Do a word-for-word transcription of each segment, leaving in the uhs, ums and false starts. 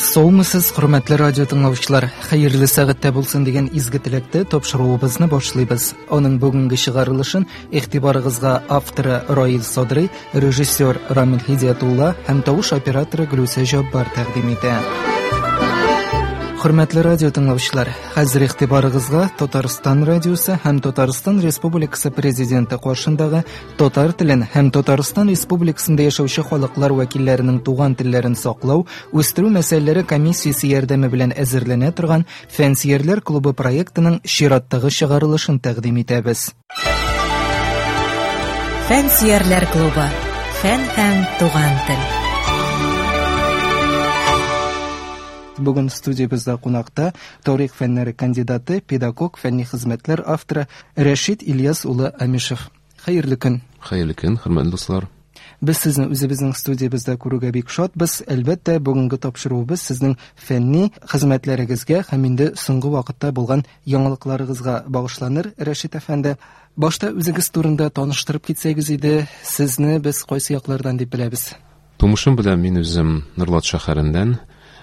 Саумысыз, хөрмәтле радио тыңлаучылар! Хәерле сәгатьтә булсын дигән изге теләктә тапшыруыбызны башлыйбыз. Аның бүгенге чыгарылышын игътибарыгызга авторы Раил Садрый, режиссер Рамил Һидиятулла һәм тавыш операторы Гөлүсә Җаббар тәкъдим итә. Хөрмәтле радио тыңлаучылар, хәзер игътибарыгызга Татарстан радиосы һәм Татарстан Республикасы Президенты каршындагы татар телен һәм Татарстан Республикасында яшәүче халыклар вәкилләренең туган телләрен саклау, үстерү мәсьәләләре комиссиясе ярдәме белән әзерләнә торган Фәнсөярләр клубы проектының чираттагы чыгарылышын тәкъдим итәбез. Фәнсөярләр клубы. Фән һәм туган тел. Бүген студиябездә кунакта тарих фәннәре кандидаты, педагог, фәнни хезмәтләр авторы Рәшит Ильяс улы Амишев. Хәерле көн. Хәерле көн, хөрмәтле дуслар. Без сезне үзебезнең студиябездә күрүгә бик шатбыз. Әлбәттә, бүгенге тапшыруыбыз сезнең фәнни хезмәтләрегезгә һәм инде соңгы вакытта булган яңалыкларыгызга багышланыр, Рәшит әфәнде. Башта үзегез турында таныштырып китсәгез иде, сезне без кайсы яклардан дип беләбез? Тумышым белән мин үзем Нурлат шәһәреннән.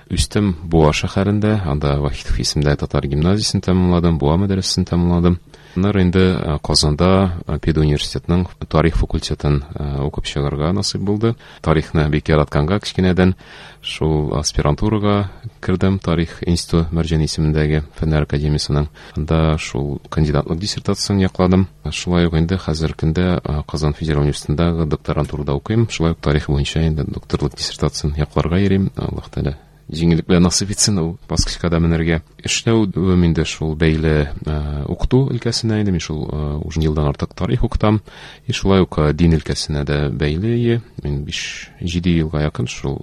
Үстем Буа шәһәрендә, анда Вахитов исемдәге татар гимназиясен тәмамладым, Буа мәдрәсәсен тәмамладым. Аннары инде Казанда педуниверситетның тарих факультетын укып чыгарга насыйп булды. Тарихны бик яратканга кечкенәдән шул аспирантурага кердем, тарих институты Мәрҗани исемендәге фәннәр академиясенең. Анда шул кандидатлык диссертациясен якладым. Шулай ук инде хәзерге көндә Казан федераль университетындагы докторантурада укыйм. Шулай ук тарих буенча инде докторлык диссертациясен якларга йөрим. Аллаһ Тәгалә җиңеллек белән насыйп итсен ул баскычка да менәргә. Эшләү инде шул бәйле укыту өлкәсенә инде мин шул уже елдан артык тарих укытам. И шулай ук дин өлкәсенә дә бәйле. Мин биш җиде елга якын шул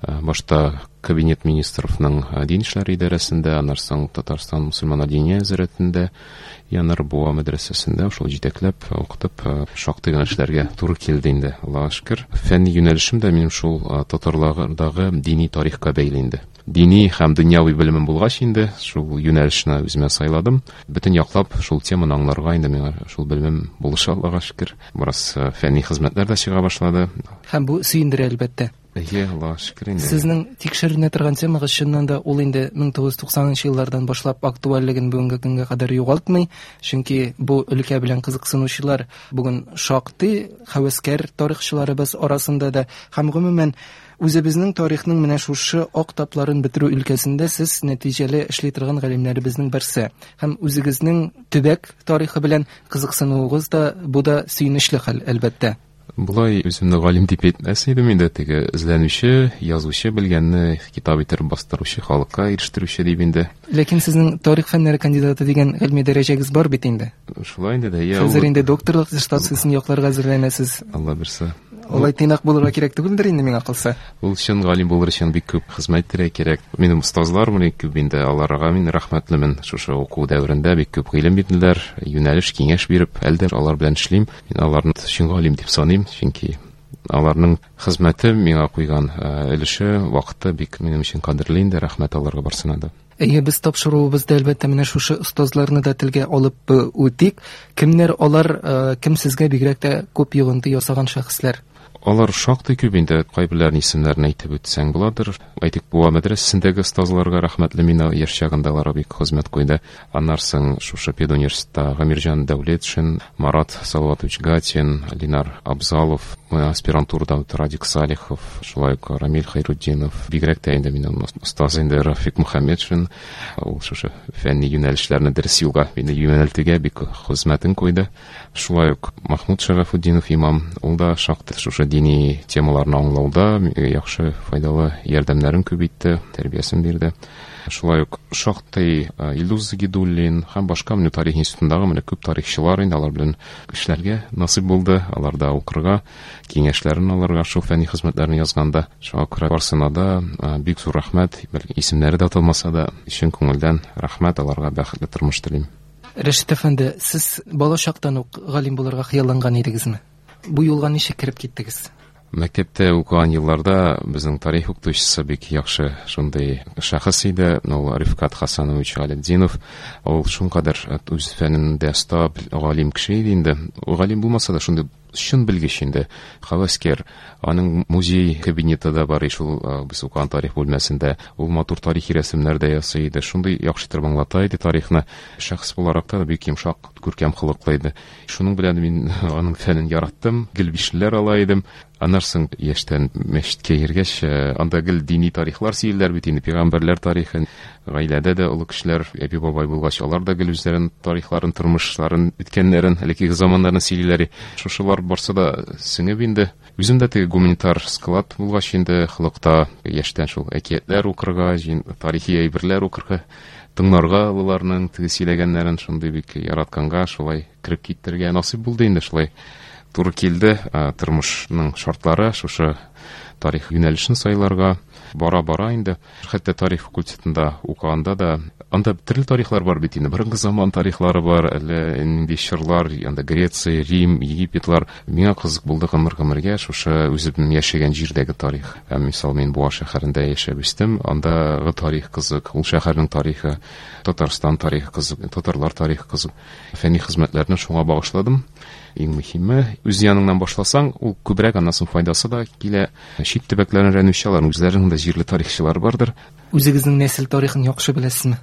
башта кабинет министровның дин эшләре идарәсендә, аннан соң Татарстан мөселман диния нәзарәтендә, аннары Буа мәдрәсәсендә шул җитәкләп укытып шактый гына эшләргә туры килде инде, Аллаһка шөкер. Фәнни юнәлешем дә минем шул татарлардагы дини тарихка бәйле инде. Дини һәм дөньяви белемем булгач инде шул юнәлешне үземә сайладым. Бөтен яклап шул теманы аңларга инде миңа шул белемем булыша, Аллаһка шөкер. Бераз фәнни хезмәтләр дә чыга башлады. Һәм бу сөендерә, әлбәттә. Әйе, Аллаһка шөкер инде. Сезнең тикшеренә торган темагыз чыннан да ул инде мең тугыз йөз туксанынчы еллардан башлап актуальлеген бүгенге көнгә кадәр югалтмый, чөнки бу өлкә белән кызыксынучылар бүген шактый һәвәскәр тарихчыларыбыз арасында да һәм гомумән үзебезнең тарихның менә шушы ак тапларын бетерү өлкәсендә сез нәтиҗәле эшли торган галимнәребезнең берсе. Һәм үзегезнең төбәк тарихы белән кызыксынуыгыз да бу да сөенечле хәл, әлбәттә. Болай үземне галим дип әйтмәс идем инде, теге эзләнүче, язучы, белгәнне китап итеп бастыручы, халыкка ирештерүче дип инде. Ләкин сезнең тарих фәннәре кандидаты дигән гыйльми дәрәҗәгез бар бит инде. Шулай инде дә. Я, хәзер инде докторлык диссертациясен якларга әзерләнәсез. Алла бирсә. Алай тыйнак булырга кирәк түгелдер инде миңа калса. Ул чын галим булыр өчен бик күп хезмәт итәргә кирәк. Минем остазлар бик күп инде, аларга мин рәхмәтлемен. Шушы уку дәверендә бик күп гыйлем бирделәр, юнәлеш, киңәш биреп, әле дә алар белән эшлим. Мин аларны чын галим дип саныйм, чөнки аларның хезмәте миңа куйган өлеше, вакыты бик минем өчен кадерле инде, рәхмәт аларга барсына да. Әйе, без тапшыруыбызда әлбәттә менә шушы остазларны да телгә алып үтик. Кемнәр алар, кем сезгә бигрәк тә күп йогынты ясаган шәхесләр? Алар шактый күп инде, кайберләренең исемнәрен әйтеп үтсәң буладыр. Әйтик, Буа мәдрәсәсендәге остазларга рәхмәтле, мин яшь чагында алар бик хезмәт куйды. Аннан соң шушы педуниверситетта Гамирҗан Дәүлетшин, Марат Салаватович Гатин, Линар Абзалов, аспирантурада Радик Салихов, шулай ук Рамил Хайрутдинов, бигрәк тә инде минем остаз инде Рафик Мөхәммәтшин, ул шушы фәнни юнәлешләрне дөрес юлга мине юнәлтүгә бик хезмәтен куйды. Шулай ук Махмуд Шарафутдинов имам, ул да шактый шушы дини темаларны аңлауда яхшы файдалы ярдәмнәрен күп итте, тәрбиясен бирде. Шулай ук шактый Илдус Загидуллин һәм башка менә тарих институтындагы менә күп тарихчылар инде алар белән эшләргә насыйп булды, аларда укырга, киңәшләрен алырга шул фәнни хезмәтләрен язганда. Шуңа күрә барсына да бик зур рәхмәт, бәлки исемнәре дә аталмаса да, чын күңелдән рәхмәт, аларга бәхетле тормыш телим. Рәшит әфәнде, сез бала чактан ук галим булырга хыялланган идегезме? Бу юлга ничек кереп киттегез? Мәктәптә укыган елларда безнең тарих укытучысы бик яхшы шундый шәхес иде, ул Рифкат Хасанович Галетдинов. Ул шуңкадәр үз фәнендә оста, галим кеше иде инде. Ул галим булмаса да шундый Чын белгеч инде, һәвәскәр. Аның музей кабинеты да бар, шул без укыган тарих бүлмәсендә. Ул матур тарихи рәсемнәр дә ясый иде. Шундый яхшы итеп аңлата иде тарихны. Шәхес буларак та бик йомшак, күркәм холыклы иде. Шуның белән мин аның фәнен яраттым, гел бишлеләр ала идем. Аннан соң яшьтән мәчеткә йөргәч, анда гел дини тарихлар сөйлиләр бит инде, пәйгамбәрләр тарихын. Гаиләдә дә олы кешеләр, әби бабай булгач, алар да гел үзләренең тарихларын, тормышларын, үткәннәрен, элеккеге заманнарын сөйлиләр. Шушылар барсы да сеңеп инде. Үзем дә теге гуманитар склад булгач инде, холыкта яшьтән шул әкиятләр укырга, тарихи әйберләр укырга, тыңларга олыларның теге сөйләгәннәрен шундый бик яратканга шулай кереп китәргә насыйп булды инде, шулай туры килде тормышның шартлары шушы тарих юнәлешен сайларга. Бара-бара инде. Хәтта тарих факультетында укыганда да анда төрле тарихлар бар бит инде. Борынгы заман тарихлары бар, әллә нинди чорлар, анда Греция, Рим, Египетлар. Миңа кызык булды гомер-гомергә шушы үзем яшәгән җирдәге тарих. Мисал, мин Буа шәһәрендә яшәп үстем, андагы тарих кызык, ул шәһәрнең тарихы, Татарстан тарихы кызык, татарлар тарихы кызык. Фәнни хезмәтләрне шуңа багышладым. Иң мөһиме, үз яныңнан башласаң, ул күбрәк аннан соң файдасы да килә. Чит төбәкләрне өйрәнүче алар үзләренең дә җирле тарихчылар бардыр. Үзегезнең нәсел тарихын яхшы беләсезме?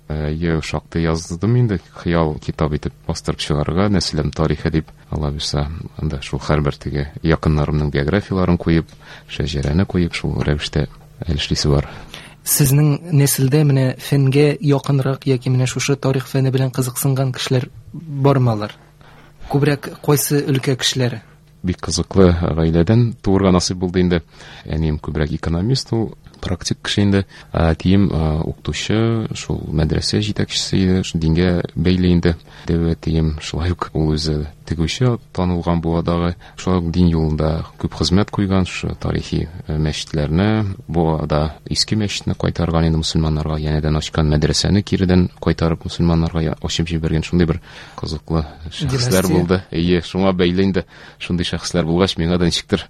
Әйе, шактый яздым инде, хыял китап итеп бастырып чыгарырга, нәселем тарихы дип, Алла бирсә, анда шул һәрбер теге якыннарымның биографияларын куеп, шәҗәрәне куеп, шул рәвештә әле эшлисе бар. Сезнең нәселдә менә фәнгә якынрак яки менә шушы тарих фәне белән кызыксынган кешеләр бармы алар? Күбрәк кайсы өлкә кешеләре? Бик кызыклы гаиләдән туырга насыйп булды инде. Әнием күбрәк экономист, ул практик кеше инде. Әтием укытучы, шул мәдрәсә җитәкчесе иде, шул дингә бәйле инде. Дәү әтием шулай ук ул үзе тегүче, танылган Буадагы, шулай ук дин юлында күп хезмәт куйган, шушы тарихи мәчетләрне, Буада иске мәчетне кайтарган инде мөселманнарга, янәдән ачкан мәдрәсәне киредән кайтарып мөселманнарга ачып җибәргән, шундый бер кызыклы шәхесләр булды. Әйе, шуңа бәйле инде шундый шәхесләр булгач, миңа да ничектер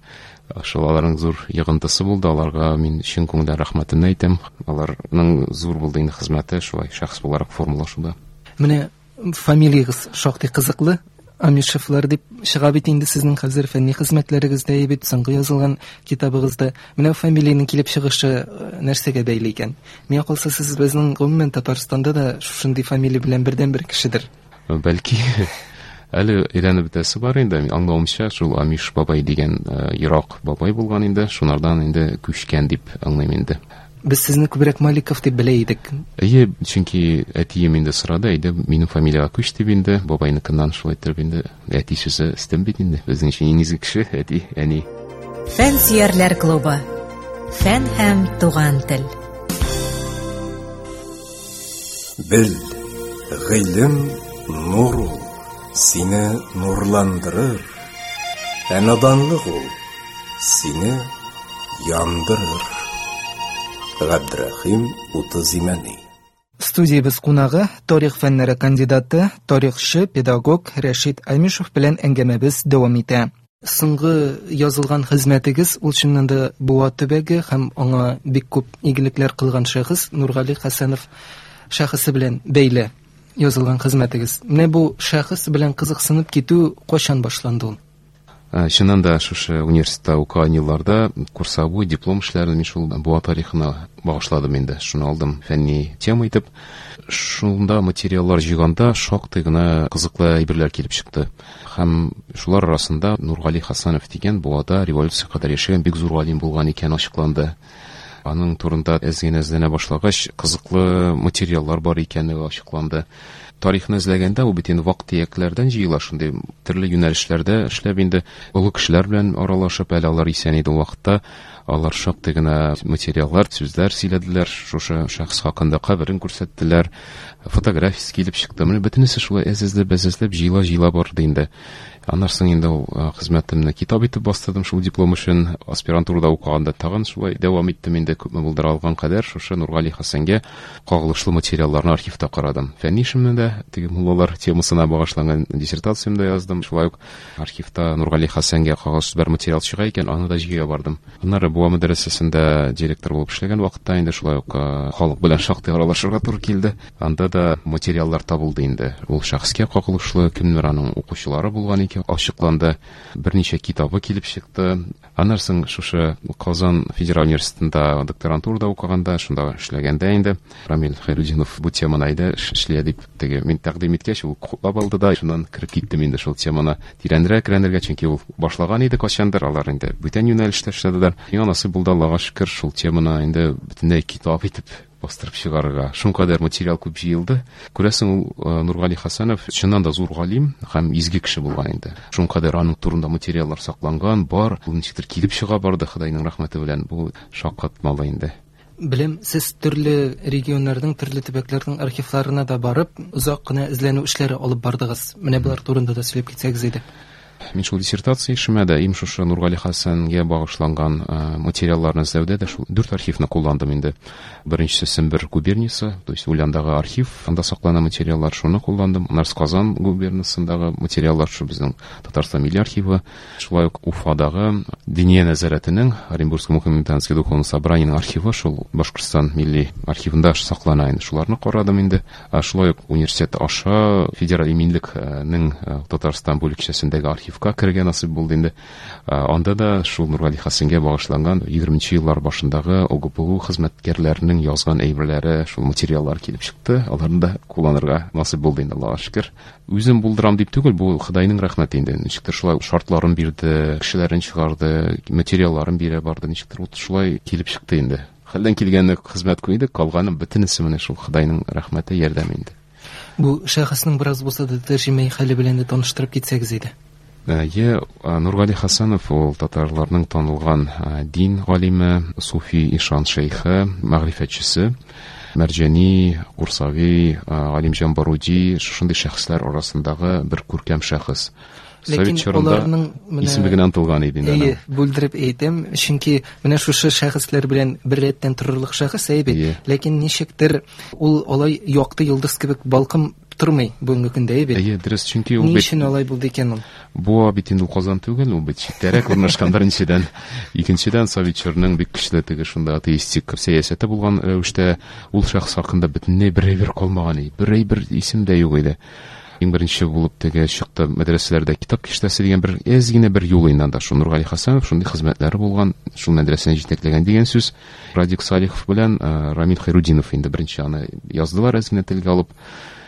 шул аларның зур йогынтысы булды. Аларга мин чын күңелдән рәхмәтемне әйтәм. Аларның зур булды инде хезмәте шулай шәхес буларак формалашуда. Менә фамилиягез шактый кызыклы. Амишевлар дип чыга бит инде сезнең хәзер фәнни хезмәтләрегездә, бит соңгы язылган китабыгызда. Менә фамилиянең килеп чыгышы нәрсәгә бәйле икән? Миңа калса, сез безнең гомумән Татарстанда да шушындый фамилия белән бердәнбер кешедер. Бәлки әле өйрәнеп бетәсе бар инде. Аңлавымча, шул Амиш бабай дигән ерак бабай булган инде, шунардан инде күчкән дип аңлыйм инде. Без сезне күбрәк Маликов дип белә идек. Әйе, чөнки әтием инде сорады, әйдә минем фамилиягә күч дип инде, бабайныкыннан шулай итеп инде. Әти сүзе өстен бит инде. Безнең өчен иң изге кеше әти, әни. Фән сөярләр клубы. Фән һәм туган тел. Бел, гыйлем нур ул, сине нурландырыр. Ә наданлык ул сине яндырыр. Габдрахим Утызимәни. Студиябез кунагы тарих фәннәре кандидаты, тарихчы, педагог Рәшит Амишев белән әңгәмәбез дәвам итә. Соңгы язылган хезмәтегез ул чыннан да Буа төбәге һәм аңа бик күп игелекләр кылган шәхес Нургали Хәсәнов шәхесе белән бәйле язылган хезмәтегез. Менә бу шәхес белән кызыксынып китү кайчан башланды ул? Чыннан да шушы университетта укыган елларда курсовой диплом эшләрен мин шул Буа тарихына багышладым инде. Шуны алдым фәнни тема итеп. Шунда материаллар җыйганда шактый гына кызыклы әйберләр килеп чыкты. Һәм шулар арасында Нургали Хәсәнов дигән Буада революция кадәр яшәгән бик зур галим булган икән ачыкланды. Аның турында әз генә эзләнә башлагач, кызыклы материаллар бар икәнлеге ачыкланды. Тарихны эзләгәндә ул бит инде вак-төякләрдән җыела, шундый төрле юнәлешләрдә эшләп инде олы кешеләр белән аралашып, әле алар исән иде ул вакытта, алар шактый гына материаллар, сүзләр сөйләделәр, шушы шәхес хакында каберен күрсәттеләр, фотографиясе килеп чыкты. Менә бөтенесе шулай әз-әзләп, әз-әзләп җыела-җыела барды инде. Аннан соң инде ул хезмәтемне китап итеп бастырдым шул диплом өчен. Аспирантурада укыганда тагын шулай дәвам иттем инде, күпме булдыра алган кадәр шушы Нургали Хәсәнгә кагылышлы материалларны архивта карадым. Фәнни эшемне дә дә теге муллалар темасына багышланган диссертациямдә яздым. Шулай ук архивта Нургали Хәсәнгә кагылышлы бер материал чыга икән, аны да җыя бардым. Аннары Буа мәдрәсәсендә директор булып эшләгән вакытта инде шулай ук халык белән шактый аралашырга туры килде. Анда да материаллар табылды инде. Ул шәхескә кагылышлы, кемнәр аның укучылары булган икән, ачыкланды. Берничә китабы килеп чыкты. Аннан соң шушы Казан федераль университетында докторантурада укыганда, шунда эшләгәндә инде Рамил Хәйрудинов бу теманы әйдә эшлә дип теге мин тәкъдим иткәч, ул хуплап алды да, шуннан кереп киттем инде шул теманы тирәнрәк өйрәнергә, чөнки ул башлаган иде кайчандыр, алар инде бүтән юнәлештә эшләделәр. Миңа насыйп булды, Аллага шөкер, шул теманы инде бөтенләй китап итеп бастырып чыгарырга. Шуңкадәр материал күп җыелды. Күрәсең, ул Нургали Хәсәнов чыннан да зур галим һәм изге кеше булган инде. Шуңкадәр аның турында материаллар сакланган, бар, ул ничектер килеп чыга барды, Ходайның рәхмәте белән. Бу шаккатмалы инде. Белем, сез төрле регионнарның, төрле төбәкләрнең архивларына да барып, озак кына эзләнү эшләре алып бардыгыз. Менә болар турында да сөйләп китсәгез иде. Мин шул диссертация эшемә дә, им шушы Нургали Хәсәнгә багышланган материалларны эзләүдә дә шул дүрт архивны кулландым инде. Беренчесе Сембер губерниясе, то есть Ульяндагы архив, анда саклана материаллар, шуны кулландым. Аннары Казан губерниясендәге материаллар, шу безнең Татарстан милли архивы, шулай ук Уфадагы Диния нәзарәтенең Оренбургский мухаммеданский духовный собраниенең архивы, шул Башкортстан милли архивында саклана инде. Шуларны карадым инде. Шулай ук университет аша Федераль иминлекнең Татарстан бүлекчәсендәге архив керергә насыйп булды инде. Анда да шул Нургали Хәсәнгә багышланган егерменче еллар башындагы ОГПУ хезмәткәрләренең язган әйберләре, шул материаллар килеп чыкты. Аларны да кулланырга насыйп булды инде, Аллага шөкер. Үзем булдырам дип түгел, бу Ходайның рәхмәте инде. Ничектер шулай шартларын бирде, кешеләрен чыгарды, материалларын бирә барды, ничектер вот шулай килеп чыкты инде. Хәлдән килгәнне хезмәт куйдык, калганы бөтенесе менә шул Ходайның рәхмәте, ярдәме инде. Бу шәхеснең бераз булса да тәрҗемәи хәле белән дә таныштырып китсәгез иде. Е, Нургали Хәсәнов ул татарларның танылган дин галиме, суфи ишан шейхы, мәгърифәтчесе, Мәрҗани, Курсави, Галимҗан Баруди шушындый шәхесләр арасындагы бер күркәм шәхес. Ләкин аларның исеме генә онытылган иде инде. Әйе, бүлдереп әйтәм, чөнки менә шушы шәхесләр белән бер рәттән торырлык шәхес әйбәт. Ләкин ничектер ул алай якты йолдыз кебек балкым тормый бүгенге көндә, әйбәт. Әйе, дөрес, чөнки ул бит ни өчен алай булды икән ул? Бу бит инде Казан түгел, ул бит читтәрәк урнашкан беренчедән. Икенчедән, совет чорының бик көчле теге шунда атеистик сәясәте булган рәвештә ул шәхес хакында бөтенләй бер әйбер калмаган иде. Бер әйбер исем дә юк иде. Иң беренче булып теге чыкты мәдрәсәләрдә китап киштәсе дигән бер әз генә бер юл инде анда. Шул Нургали Хәсәнов шундый хезмәтләре булган, шул мәдрәсәне җитәкләгән дигән сүз. Радик Салихов белән Рамил Хәйрудинов инде беренче аны яздылар, әз генә телгә алып.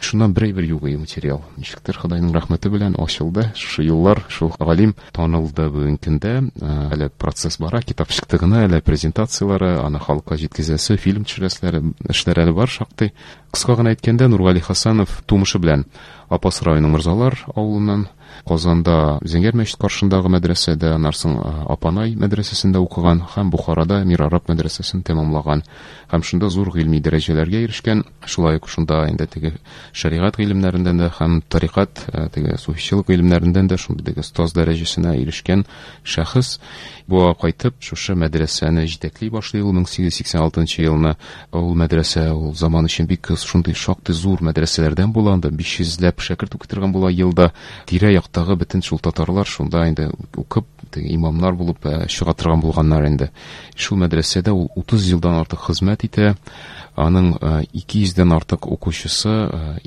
Шуннан бер әйбер юк иде материал. Ничектер Ходайның рәхмәте белән ачылды. Шушы юллар, шул галим танылды бүгенге көндә. Әле процесс бара, китап чыкты гына, әле презентацияләре, аны халыкка җиткезәсе, фильм төшерәселәре, эшләр әле бар шактый. Кыска гына әйткәндә, Нургали Хәсәнов тумышы белән Апас районының Мырзалар авылыннан, Казанда Зәңгәр мәчет каршындагы мәдрәсәдә, аннан соң Апанай мәдрәсәсендә укыган һәм Бухарада Мир Араб мәдрәсәсен тәмамлаган һәм шунда зур гыйльми дәрәҗәләргә ирешкән. Шулай ук шунда инде теге шәригать гыйлемнәреннән дә һәм тарикат, теге суфичылык гыйлемнәреннән дә шундый теге остаз дәрәҗәсенә ирешкән шәхес. Буа кайтып шушы мәдрәсәне җитәкли башлый ул мең сигез йөз сиксән алтынчы елны. Ул мәдрәсә ул заман өчен бик шундый шактый зур мәдрәсәләрдән була, анда биш йөзләп шәкерт укытырган була елда. Тирә яктагы бөтен шул татарлар шунда инде укып, теге имамнар булып чыга торган булганнар инде. Шул мәдрәсәдә ул утыз елдан артык хезмәт итә. Аның ике йөздән артык укучысы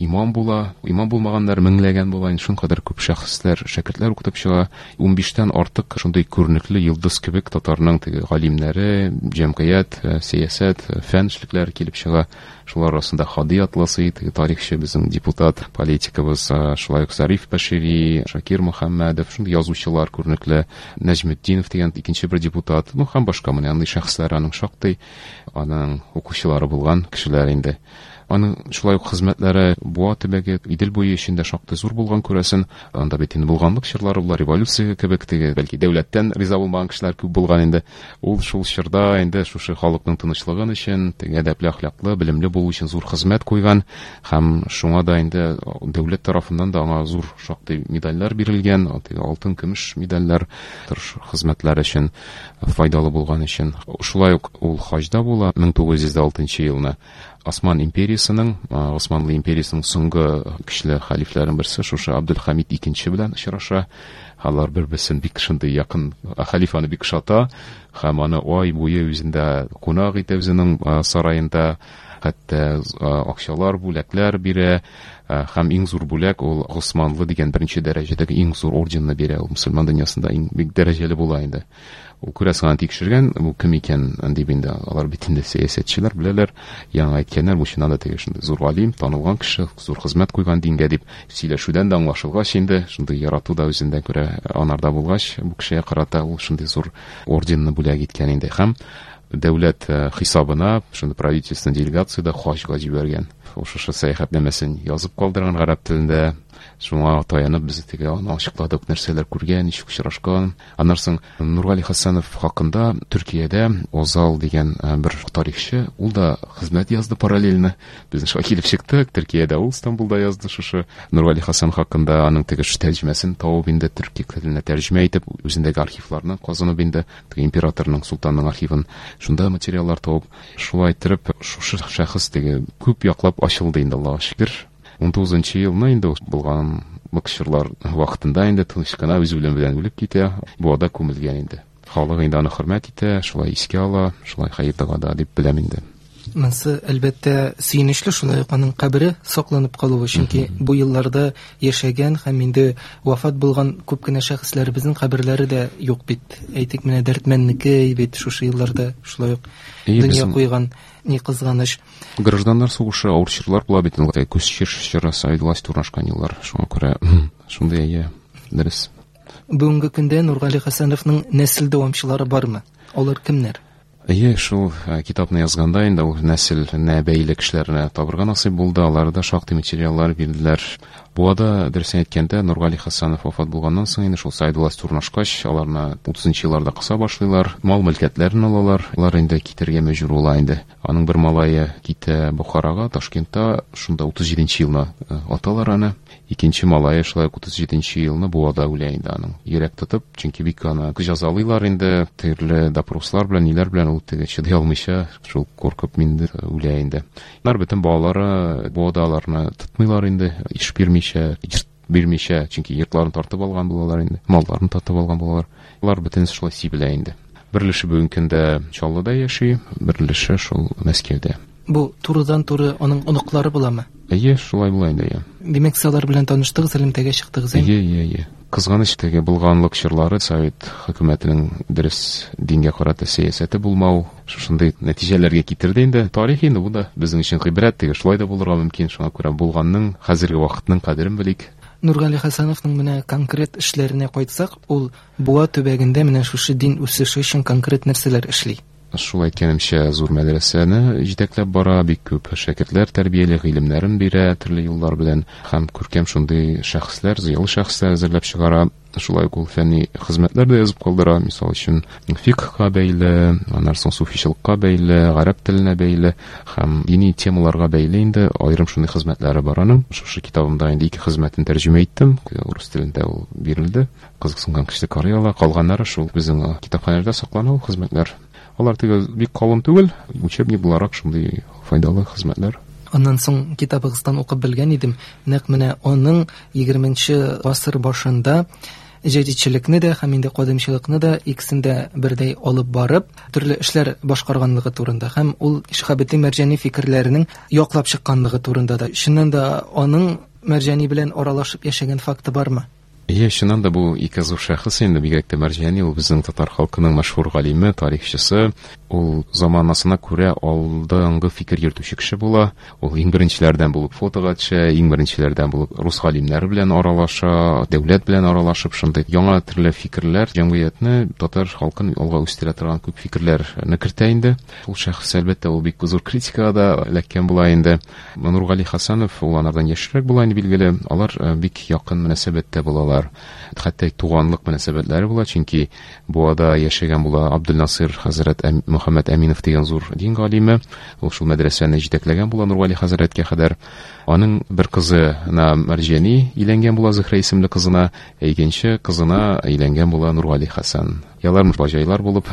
имам була. Имам булмаганнар меңләгән була. Инде шуның кадәр күп шәхесләр, шәкертләр укытып чыга. Унбиштән артык шундый күренекле йолдыз кебек татарның теге галимнәре, җәмгыять, сәясәт, фән эшлекләре килеп чыга. Шулар арасында Һади Атласы, теге тарихчы, безнең депутат, политикабыз, шулай ук Зариф Башири, Шакир Мөхәммәдов, шундый язучылар күренекле, Нәҗметдинов дигән икенче бер депутат, ну һәм башка менә андый шәхесләр аның шактый, аның укучылары булган кешеләр инде. Аның шулай ук хезмәтләре Буа төбәге, Идел буе эчендә шактый зур булган күрәсен. Анда бит инде булганлык чорлары була, революция кебек теге, бәлки дәүләттән риза булмаган кешеләр күп булган инде. Ул шул чорда инде шушы халыкның тынычлыгын өчен, теге әдәпле, әхлаклы, белемле булу өчен зур хезмәт куйган һәм шуңа да инде дәүләт тарафыннан да аңа зур шактый медальләр бирелгән, теге алтын, көмеш медальләр тырыш хезмәтләр өчен, файдалы булган өчен. Шулай ук ул хаҗда була мең тугыз йөз алтынчы елны. Осман империясының, Османлы империясының соңгы көчле хәлифләренең берсе шушы Абдулхамид икенче белән очраша. Алар бер-берсен бик шундый якын, хәлиф аны бик ошата һәм аны ай буе үзендә кунак итә үзенең сараенда, хәтта акчалар, бүләкләр бирә. Һәм иң зур бүләк ул Османлы дигән беренче дәрәҗәдәге иң зур орденны бирә. Ул мөселман дөньясында иң бик дәрәҗәле була инде. Ул күрәсең аны тикшергән, бу кем икән дип инде. Алар бит инде сәясәтчеләр беләләр, яңа әйткәннәр, бу чыннан да теге шундый зур галим, танылган кеше, зур хезмәт куйган дингә дип сөйләшүдән дә аңлашылгач инде, шундый ярату да үзендә күрә анарда булгач, бу кешегә карата ул шундый зур орденны бүләк иткән инде. Һәм дәүләт хисабына шундый правительственный делегация да хаҗга җибәргән. Шушы сәяхәтнамәсен язып калдырган гарәп телендә. Шуңа таянып без теге аны ачыкладык, нәрсәләр күргән, ничек очрашкан. Аннан соң Нургали Хәсәнов хакында Төркиядә Озал дигән бер тарихчы, ул да хезмәт язды параллельно. Безнең шулай килеп чыктык, Төркиядә ул Истанбулда язды шушы Нургали Хәсән хакында, аның теге тәрҗемәсен табып инде төрки теленә тәрҗемә итеп, үзендәге архивларны казынып инде, теге императорның, султанның архивын, шунда материаллар табып, шулай итеп шушы шәхес теге күп яклап ачылды инде, Аллаһка шөкер. ун тугызынчы елны инде булган чорлар вакытында инде тыныч кына үз үлеме белән үлеп китә, Буада күмелгән инде. Халык инде аны хөрмәт итә, шулай искә ала, шулай хәер догада дип беләм инде. Монысы әлбәттә сөенечле, шулай ук аның кабере сакланып калуы, чөнки бу елларда яшәгән һәм инде вафат булган күп кенә шәхесләребезнең каберләре дә юк бит. Әйтик, менә Дәрдмәннеке бит шушы елларда шулай ук дөнья куйган, ни кызганыч. Гражданнар сугышы авыр чорлар була бит инде, күз чоры, совет власте урнашкан еллар, шуңа күрә шундый әйе, дөрес. Бүгенге көндә Нургали Хәсәновның нәсел дәвамчылары бармы? Алар кемнәр? Әйе, шул китапны язганда инде ул нәселенә бәйле кешеләрне табырга насыйп булды, алар да шактый материаллар бирделәр. Буада, дөресен әйткәндә, Нургали Хәсәнов вафат булганнан соң инде шул совет власте урнашкач, аларны утызынчы елларда кыса башлыйлар, мал-мөлкәтләрен алалар, алар инде китәргә мәҗбүр була инде. Аның бер малае китә Бухарага, Ташкентта, шунда утыз җиденче елны аталар аны. Икенче малае шулай ук утыз җиденче елны Буада үлә инде аның. Йөрәк тотып, чөнки бик аны җәзалыйлар инде, төрле допрослар белән, ниләр белән ул теге чыдый алмыйча, шул куркып инде үлә инде. Алар бөтен балалары Буада аларны тотмыйлар инде, иш бирмичә, йорт бирмичә, чөнки йортларын тартып алган булалар инде, малларын тартып алган булалар. Алар бөтенесе шулай сибелә инде. Бер өлеше бүгенге көндә Чаллыда яши, бер өлеше шул Мәскәүдә. Бу турыдан-туры аның оныклары буламы? Әйе, шулай була инде, әйе. Димәк, сез алар белән таныштыгыз, элемтәгә чыктыгыз, әйе? Әйе, әйе, әйе. Кызганыч, теге булганлык чорлары совет хөкүмәтенең дөрес дингә карата сәясәте булмау шушындый нәтиҗәләргә китерде инде. Тарих инде бу да безнең өчен гыйбрәт, теге шулай да булырга мөмкин, шуңа күрә булганның, хәзерге вакытның кадерен белик. Нургали Хәсәновның менә конкрет эшләренә кайтсак, ул Буа төбәгендә менә шушы дин үсеше өчен конкрет нәрсәләр эшли? Шул әйткәнемчә, зур мәдрәсәне җитәкләп бара, бик күп шәкертләр тәрбияли, гыйлемнәрен бирә төрле юллар белән һәм күркәм шундый шәхесләр, зыялы шәхесләр әзерләп чыгара. Шулай ук ул фәнни хезмәтләр дә язып калдыра, мисал өчен фикхка бәйле, аннан соң суфичылыкка бәйле, гарәп теленә бәйле һәм дини темаларга бәйле инде аерым шундый хезмәтләре бар аның. Шушы китабымда инде ике хезмәтен тәрҗемә иттем, урыс телендә ул бирелде. Кызыксынган кеше карый ала, калганнары шул безнең китапханәләрдә саклана ул хезмәтләр. Алар теге бик калын түгел, учебник буларак шундый файдалы хезмәтләр. Аннан соң китабыгыздан укып белгән идем, нәкъ менә аның егерменче гасыр башында җәдитчелекне дә һәм инде кадимчелыкны да икесен дә бердәй алып барып, төрле эшләр башкарганлыгы турында һәм ул Шиһабетдин Мәрҗани фикерләренең яклап чыкканлыгы турында да. Чыннан да аның Мәрҗани белән аралашып яшәгән факты бармы? Әйе, чыннан да бу ике зур шәхес инде, бигрәк тә Мәрҗани, ул безнең татар халкының мәшһүр галиме, тарихчысы. Ул заманасына күрә алдынгы фикер йөртүче кеше була. Ул иң беренчеләрдән булып фотога төшә, иң беренчеләрдән булып рус галимнәре белән аралаша, дәүләт белән аралашып, шундый яңа төрле фикерләр, җәмгыятьне, татар халкын алга үстерә торган күп фикерләрне кертә инде. Ул шәхес, әлбәттә, ул бик зур критикага да эләккән була инде. Нургали Хәсәнов, ул анардан яшьрәк була инде, билгеле. Алар бик якын мөнәсәбәттә булалар. Хәтта туганлык мөнәсәбәтләре була, чөнки Буада яшәгән була Абдулнасыр хәзрәт Мөхәммәд Әминов дигән зур дин галиме. Ул шул мәдрәсәне җитәкләгән була Нургали хәзрәткә кадәр. Аның бер кызына Мәрҗани өйләнгән була, Зөһрә исемле кызына, ә икенче кызына өйләнгән була Нургали Хәсән. Ялар баҗайлар булып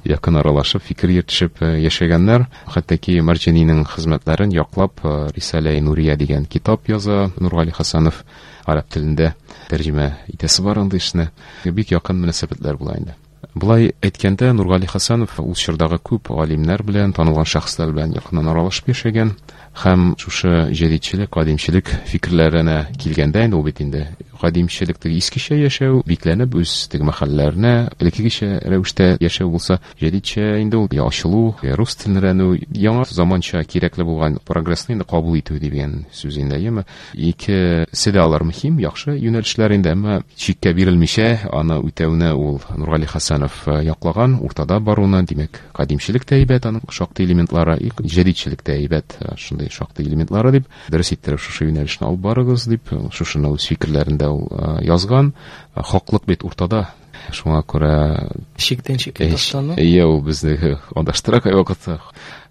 якын аралашып, фикер йөртешеп яшәгәннәр. Хәтта ки Мәрҗанинең хезмәтләрен яклап Рисалә-и Нурия дигән китап яза Нургали Хәсәнов, гарәп телендә тәрҗемә итәсе бар андый эшне. Бик якын мөнәсәбәтләр була инде. Болай әйткәндә, Нургали Хәсәнов ул чордагы күп галимнәр белән, танылган шәхесләр белән якыннан аралашып яшәгән һәм шушы җәдидчелек, кадимчелек фикерләренә килгәндә инде ул бит инде кадимчелек теге искечә яшәү, бикләнеп үз теге мәхәлләренә элеккегечә рәвештә яшәү булса, җәдидчә инде ул ачылу, рус телен өйрәнү, яңа заманча кирәкле булган прогрессны инде кабул итү дигән сүз инде, әйеме? Икесе дә алар мөһим, яхшы юнәлешләр инде, әмма чиккә бирелмичә аны үтәүне ул Нургали Хәсәнов яклаган, уртада баруны, димәк, кадимчелек тә әйбәт, аның шактый элементлары, җәдидчелек тә әйбәт, шундый шактый элементлары дип, дөрес иттереп шушы юнәлешне алып барыгыз дип, шушыны үз фикерләрендә ул язган. Хаклык бит уртада. Шуңа күрә чиктән чиккә ташлану. Әйе, ул безне адаштыра кайвакытта.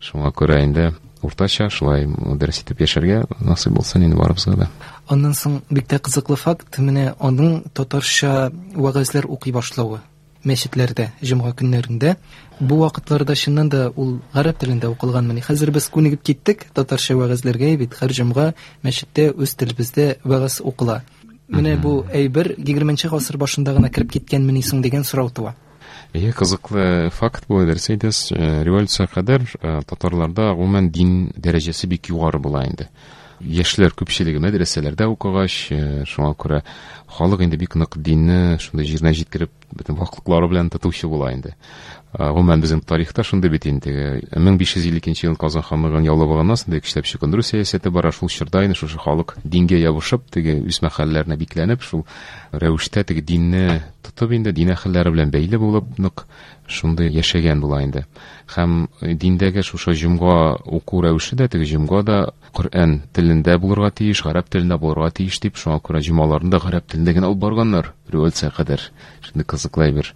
Шуңа күрә инде уртача шулай дөрес итеп яшәргә насыйп булсын инде барыбызга да. Аннан соң бик тә кызыклы факт, менә аның татарча вәгазьләр укый башлавы мәчетләрдә, җомга көннәрендә. Бу вакытларда чыннан да ул гарәп телендә укылган. Менә хәзер без күнегеп киттек татарча вәгазьләргә, бит һәр җомга мәчеттә үз телебездә вәгазь укыла. Менә бу әйбер егерменче гасыр башында гына кереп киткәнмени соң дигән сорау туа. Әйе, кызыклы факт бу, дөрес әйтәсез. Революция кадәр татарларда гомумән дин дәрәҗәсе бик югары була инде. Яшьләр күпчелеге мәдрәсәләрдә укыгач, шуңа күрә халык инде бик нык динне шундый җиренә җиткереп, бөтен ваклыклары белән тотучы була инде. Гомумән безнең тарихта шундый бит инде. мең биш йөз илле икенче ел Казан ханлыгын яулап алганнан соң көчләп чукындыру сәясәте бара. Шул чорда инде шушы халык дингә ябышып, теге үз мәхәлләренә бикләнеп, шул рәвештә теге динне тотып инде дин әһелләре белән бәйле булып нык шундый яшәгән була инде. Һәм диндәге шушы җомга уку рәвеше дә, теге җомга да Коръән телендә булырга тиеш, гарәп телендә булырга тиеш дип, шуңа күрә җомгаларны да гарәп телендә генә алып барганнар революция кадәр. Шундый кызыклы әйбер.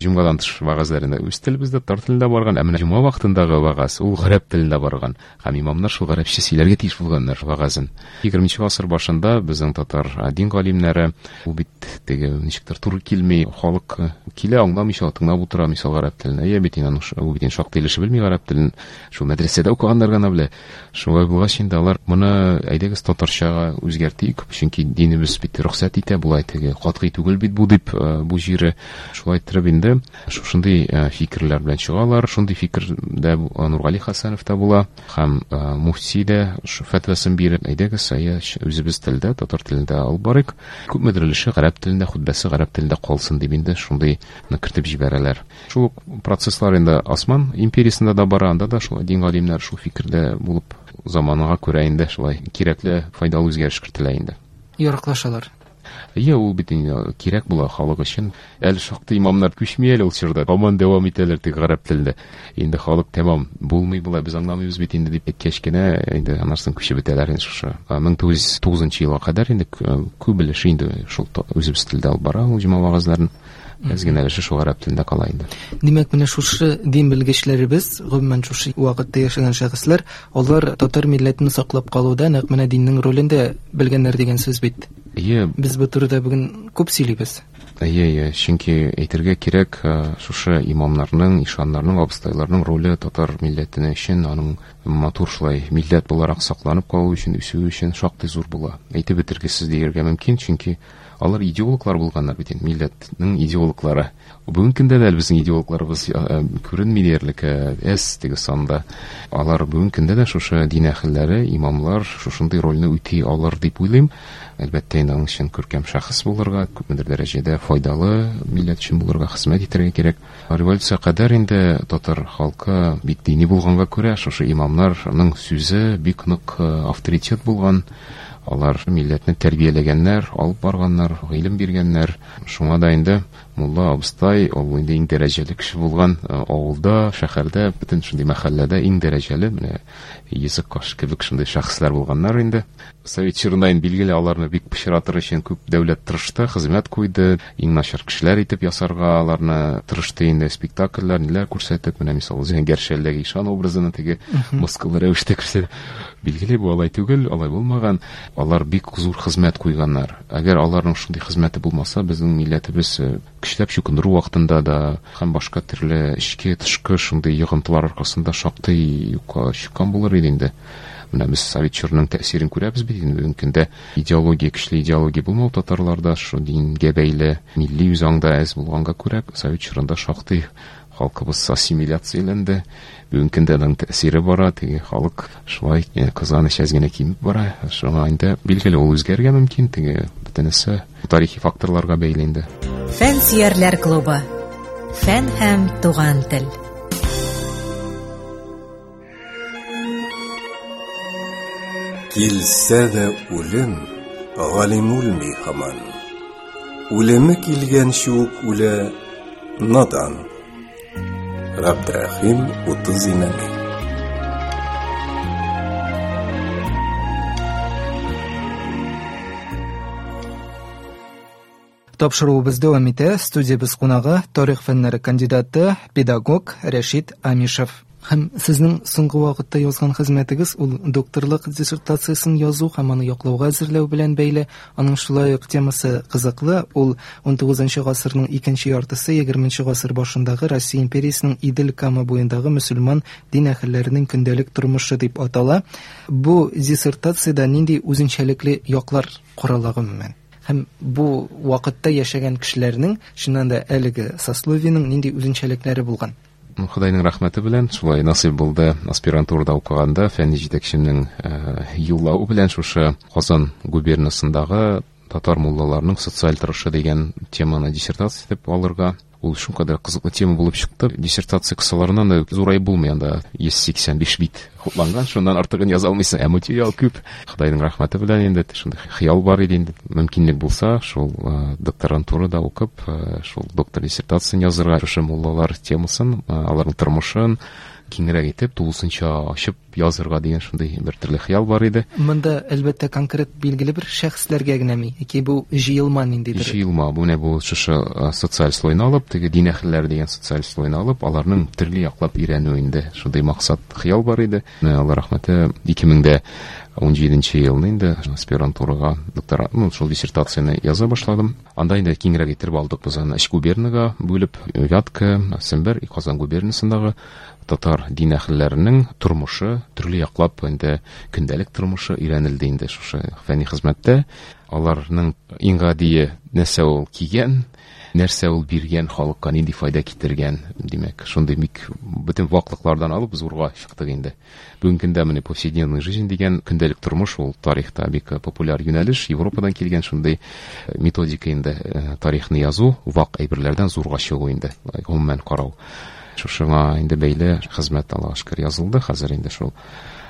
Җомгадан тыш вәгазьләрендә үз телебездә, татар телендә барган, ә менә җомга вакытындагы вәгазь ул гарәп телендә барган. Һәм имамнар шул гарәпчә сөйләргә тиеш булганнар вәгазен. Егерменче гасыр башында безнең татар дин галимнәре, ул бит теге ничектер туры килми, халык килә аңламыйча тыңлап утыра, мисал гарәп телен. Әйе бит инде, ул бит инде шактый өлеше белми гарәп телен, шул мәдрәсәдә укыганнар гына белә. Шулай булгач инде алар моны әйдәгез татарчага үзгәртик, чөнки динебез бит рөхсәт итә, болай теге катгый түгел бит бу дип, бу җире шулай иттереп инде шушындый фикерләр белән чыгалар. Шундый фикердә Нургали Хәсәнов та була һәм муфти дә фәтвасын биреп, әйдәгез, әйе, үзебез телдә, татар телендә алып барыйк. Күпмедер өлеше гарәп телендә, хутбәсе гарәп телендә калсын дип инде шундыйны кертеп җибәрәләр. Шул ук процесслар инде Осман империясендә дә бара, анда да шул дин галимнәр шул фикердә булып, заманга күрә инде шулай кирәкле, файдалы үзгәреш кертелә инде. Яраклашалар. Әйе, ул бит инде кирәк була халык өчен. Әле шактый имамнар күчми әле ул чорда. Һаман дәвам итәләр тик гарәп телендә. Инде халык тәмам булмый була, без аңламыйбыз бит инде дип әйткәч кенә, инде анарсын күчеп бетәләр инде шушы. мең тугыз йөз тугызынчы елга кадәр инде күп өлеше инде шул үзебез телдә алып бара ул җомга вәгазьләрен. Әз генә өлеше шул гарәп телендә кала инде. Димәк, менә шушы дин белгечләребез, гомумән шушы вакытта яшәгән шәхесләр, алар татар милләтен саклап калуда нәкъ менә диннең ролен дә белгәннәр дигән сүз бит. Әйе. Без бу турыда бүген күп сөйлибез. Әйе, әйе, чөнки әйтергә кирәк, шушы имамнарның, ишаннарның, абыстайларның роле татар милләтенә өчен, аның матур шулай милләт буларак сакланып калу өчен, үсү өчен шактый зур була. Әйтеп бетергесез дияргә мөмкин, чөнки алар идеологлар булганнар бит инде, милләтнең идеологлары. Бүгенге көндә дә безнең идеологларыбыз күренми диярлек, әз теге санда. Алар бүгенге көндә дә шушы дин әһелләре, имамлар шушындый рольне үти алыр дип уйлыйм. Әлбәттә, инде аның өчен күркәм шәхес булырга, күпмедер дәрәҗәдә файдалы милләт өчен булырга, хезмәт итәргә кирәк. Революция кадәр инде татар халкы бик дини булганга күрә, шушы имамнарның сүзе бик нык авторитет булган. Алар милләтне тәрбияләгәннәр, алып барганнар, гыйлем биргәннәр. Шуңа да инде мулла абыстай ул инде иң дәрәҗәле кеше булган авылда, шәһәрдә, бөтен шундый мәхәлләдә иң дәрәҗәле, менә йөзек каш кебек шундый шәхесләр булганнар инде. Совет чорында инде билгеле аларны бик пычратыр өчен күп дәүләт тырышты, хезмәт куйды, иң начар кешеләр итеп ясарга аларны тырышты инде, спектакльләр, ниләр күрсәтеп, менә мисал Зәңгәр шәлдәге ишан образын теге мыскыллы рәвештә күрсәтеп. Билгеле бу алай түгел, алай булмаган. Алар бик зур хезмәт куйганнар. Әгәр аларның шундый хезмәте булмаса, безнең милләтебез көчләп чукындыру вакытында да һәм башка төрле эчке, тышкы шундый йогынтылар аркасында шактый юкка чыккан булыр иде инде. Менә без совет чорының тәэсирен күрәбез бит инде. Бүгенге көндә идеология, көчле идеология булмау татарларда, шул дингә бәйле милли үзаңда әз булганга күрә, совет чорында шактый халкыбыз ассимиляцияләнде. Бүгенге көндә аның тәэсире бара, теге халык шулай кызганыч әз генә кимеп бара. Шуңа инде билгеле ул үзгәрергә мөмкин, теге бөтенесе тарихи факторларга бәйле инде. Фән сөярләр клубы. Фән һәм туган тел. Килсә дә үлем, галим үлми һаман. Үлеме килгәнче үк үлә надан. Габдрахим Утыз Имәни. Тапшыруыбыз дәвам итә. Студиябез кунагы тарих фәннәре кандидаты, педагог Рәшит Амишев. Һәм сезнең соңгы вакытта язган хезмәтегез ул докторлык диссертациясын язу һәм аны яклауга әзерләү белән бәйле. Аның шулай ук темасы кызыклы. Ул ун тугызынчы гасырның икенче яртысы, егерменче гасыр башындагы Россия империясының Идел Кама буендагы мөселман дин әһелләренең көндәлек тормышы дип атала. Бу диссертациядә нинди үзенчәлекле яклар карала гомумән? Һәм бу вакытта яшәгән кешеләрнең, чыннан да әлеге сословиеның нинди үзенчәлекләре булган? Худайның рәхмәте белән шулай насыйп булды. Аспирантурада укыганда фәнни җитәкчемнең юллавы белән шушы Казан губернасындагы татар муллаларының социаль торышы дигән теманы диссертация итеп алырга. Ул шулкадәр кызыклы тема булып чыкты. Диссертация кысаларыннан да зурай булмый, анда йөз сиксән биш бит хупланган, шуннан артыгын яза алмыйсың. Ә материал күп. Худайның рәхмәте белән инде шундый хыял бар иде инде. Мөмкинлек булса, шул докторантурада укып, шул доктор диссертациясын язырга, шушы муллалар темасын, аларның тормышын киңрәк итеп, тулысынча ачып язырга дигән шундый бер төрле хыял бар иде. Монда әлбәттә конкрет билгеле бер шәхесләргә генәме, яки бу җыелма ниндидер? Җыелма, бу менә бу шушы социаль слойны алып, теге дин әһелләре дигән социаль слойны алып, аларның төрле яклап өйрәнү инде. Шундый максат, хыял бар иде. Алла рәхмәте, ике мең дә ун җиденче елны инде аспирантурага докторант, ну, шул диссертацияне яза башладым. Анда инде киңрәк итеп алдык без аны өч губернага бүлеп, Вятка, Сембер, Казан губернасындагы татар дин әһелләренең тормышы, төрле яклап инде көндәлек тормышы өйрәнелде инде шушы фәнни хезмәттә. Аларның иң гадие нәрсә ул кигән, нәрсә ул биргән, халыкка нинди файда китергән, димәк, шундый бик бөтен ваклыклардан алып зурга чыктык инде. Бүгенге көндә менә повседневная жизнь дигән көндәлек тормыш ул тарихта бик популяр юнәлеш, Европадан килгән шундый методика инде тарихны язу, вак әйберләрдән зурга чыгу инде, гомумән карау. Шушыңа инде бәйле хезмәт Аллаһка шөкер язылды. Хәзер инде шул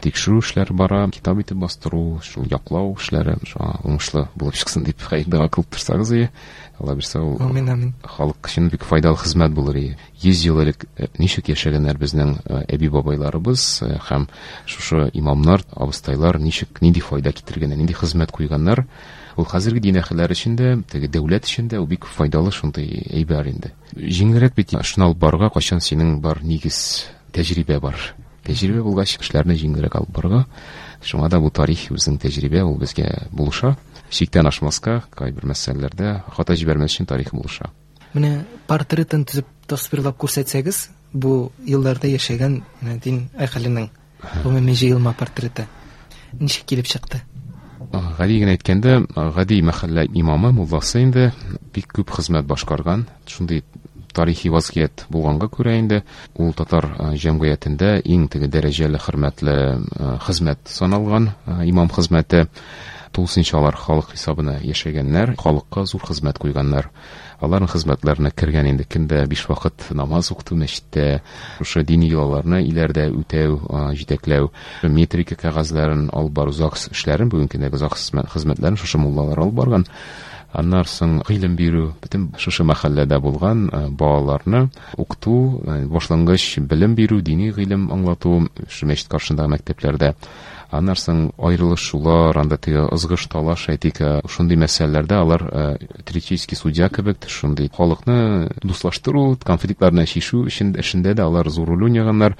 тикшерү эшләре бара, китап итеп бастыру, шул яклау эшләре шуңа уңышлы булып чыксын дип хәер-дога кылып торсагыз ие. Алла бирсә, ул Амин, амин. Халык өчен бик файдалы хезмәт булыр ие. Йөз ел элек ничек яшәгәннәр безнең әби-бабайларыбыз һәм шушы имамнар, абыстайлар ничек, нинди файда китергәннәр, нинди хезмәт куйганнар. Ул хәзерге дин әһелләре өчен дә, теге дәүләт өчен дә ул бик файдалы шундый әйбер инде. Җиңелрәк бит шуны алып барырга, кайчан синең бар нигез, тәҗрибә бар. Тәҗрибә булгач, эшләрне җиңелрәк алып барырга. Шуңа да бу тарих үзенең тәҗрибә, ул безгә булыша. Чиктән ашмаска, кайбер мәсьәләләрдә хата җибәрмәс өчен тарих булыша. Менә портретын төзеп тасвирлап күрсәтсәгез, бу елларда яшәгән менә дин әһеленең гомуми җыелма портреты ничек килеп чыкты? Гади генә әйткәндә, гади мәхәллә имамы, мулласы инде бик күп хезмәт башкарган. Шундый тарихи вазгыять булганга күрә инде ул татар җәмгыятендә иң теге дәрәҗәле, хөрмәтле хезмәт саналган имам хезмәте. Тулысынча алар халык хисабына яшәгәннәр, халыкка зур хезмәт куйганнар. Аларның хезмәтләренә кергән инде көндә биш вакыт намаз укыту мәчеттә, шушы дини йолаларны иләрдә үтәү, җитәкләү, метрика кәгазьләрен алып бару, ЗАГС эшләрен, бүгенге көндәге ЗАГС хезмәтләрен шушы муллалар алып барган. Аннан соң гыйлем бирү, бөтен шушы мәхәлләдә булган балаларны укыту, башлангыч белем бирү, дини гыйлем аңлату, шушы мәчет каршындагы мәктәпләрдә. Аннан соң аерылышулар, анда теге ызгыш талаш, әйтик, шундый мәсьәләләрдә алар теоретический судья кебек, шундый халыкны дуслаштыру, конфликтларны чишү өчен эшендә дә алар зур роль уйнаганнар.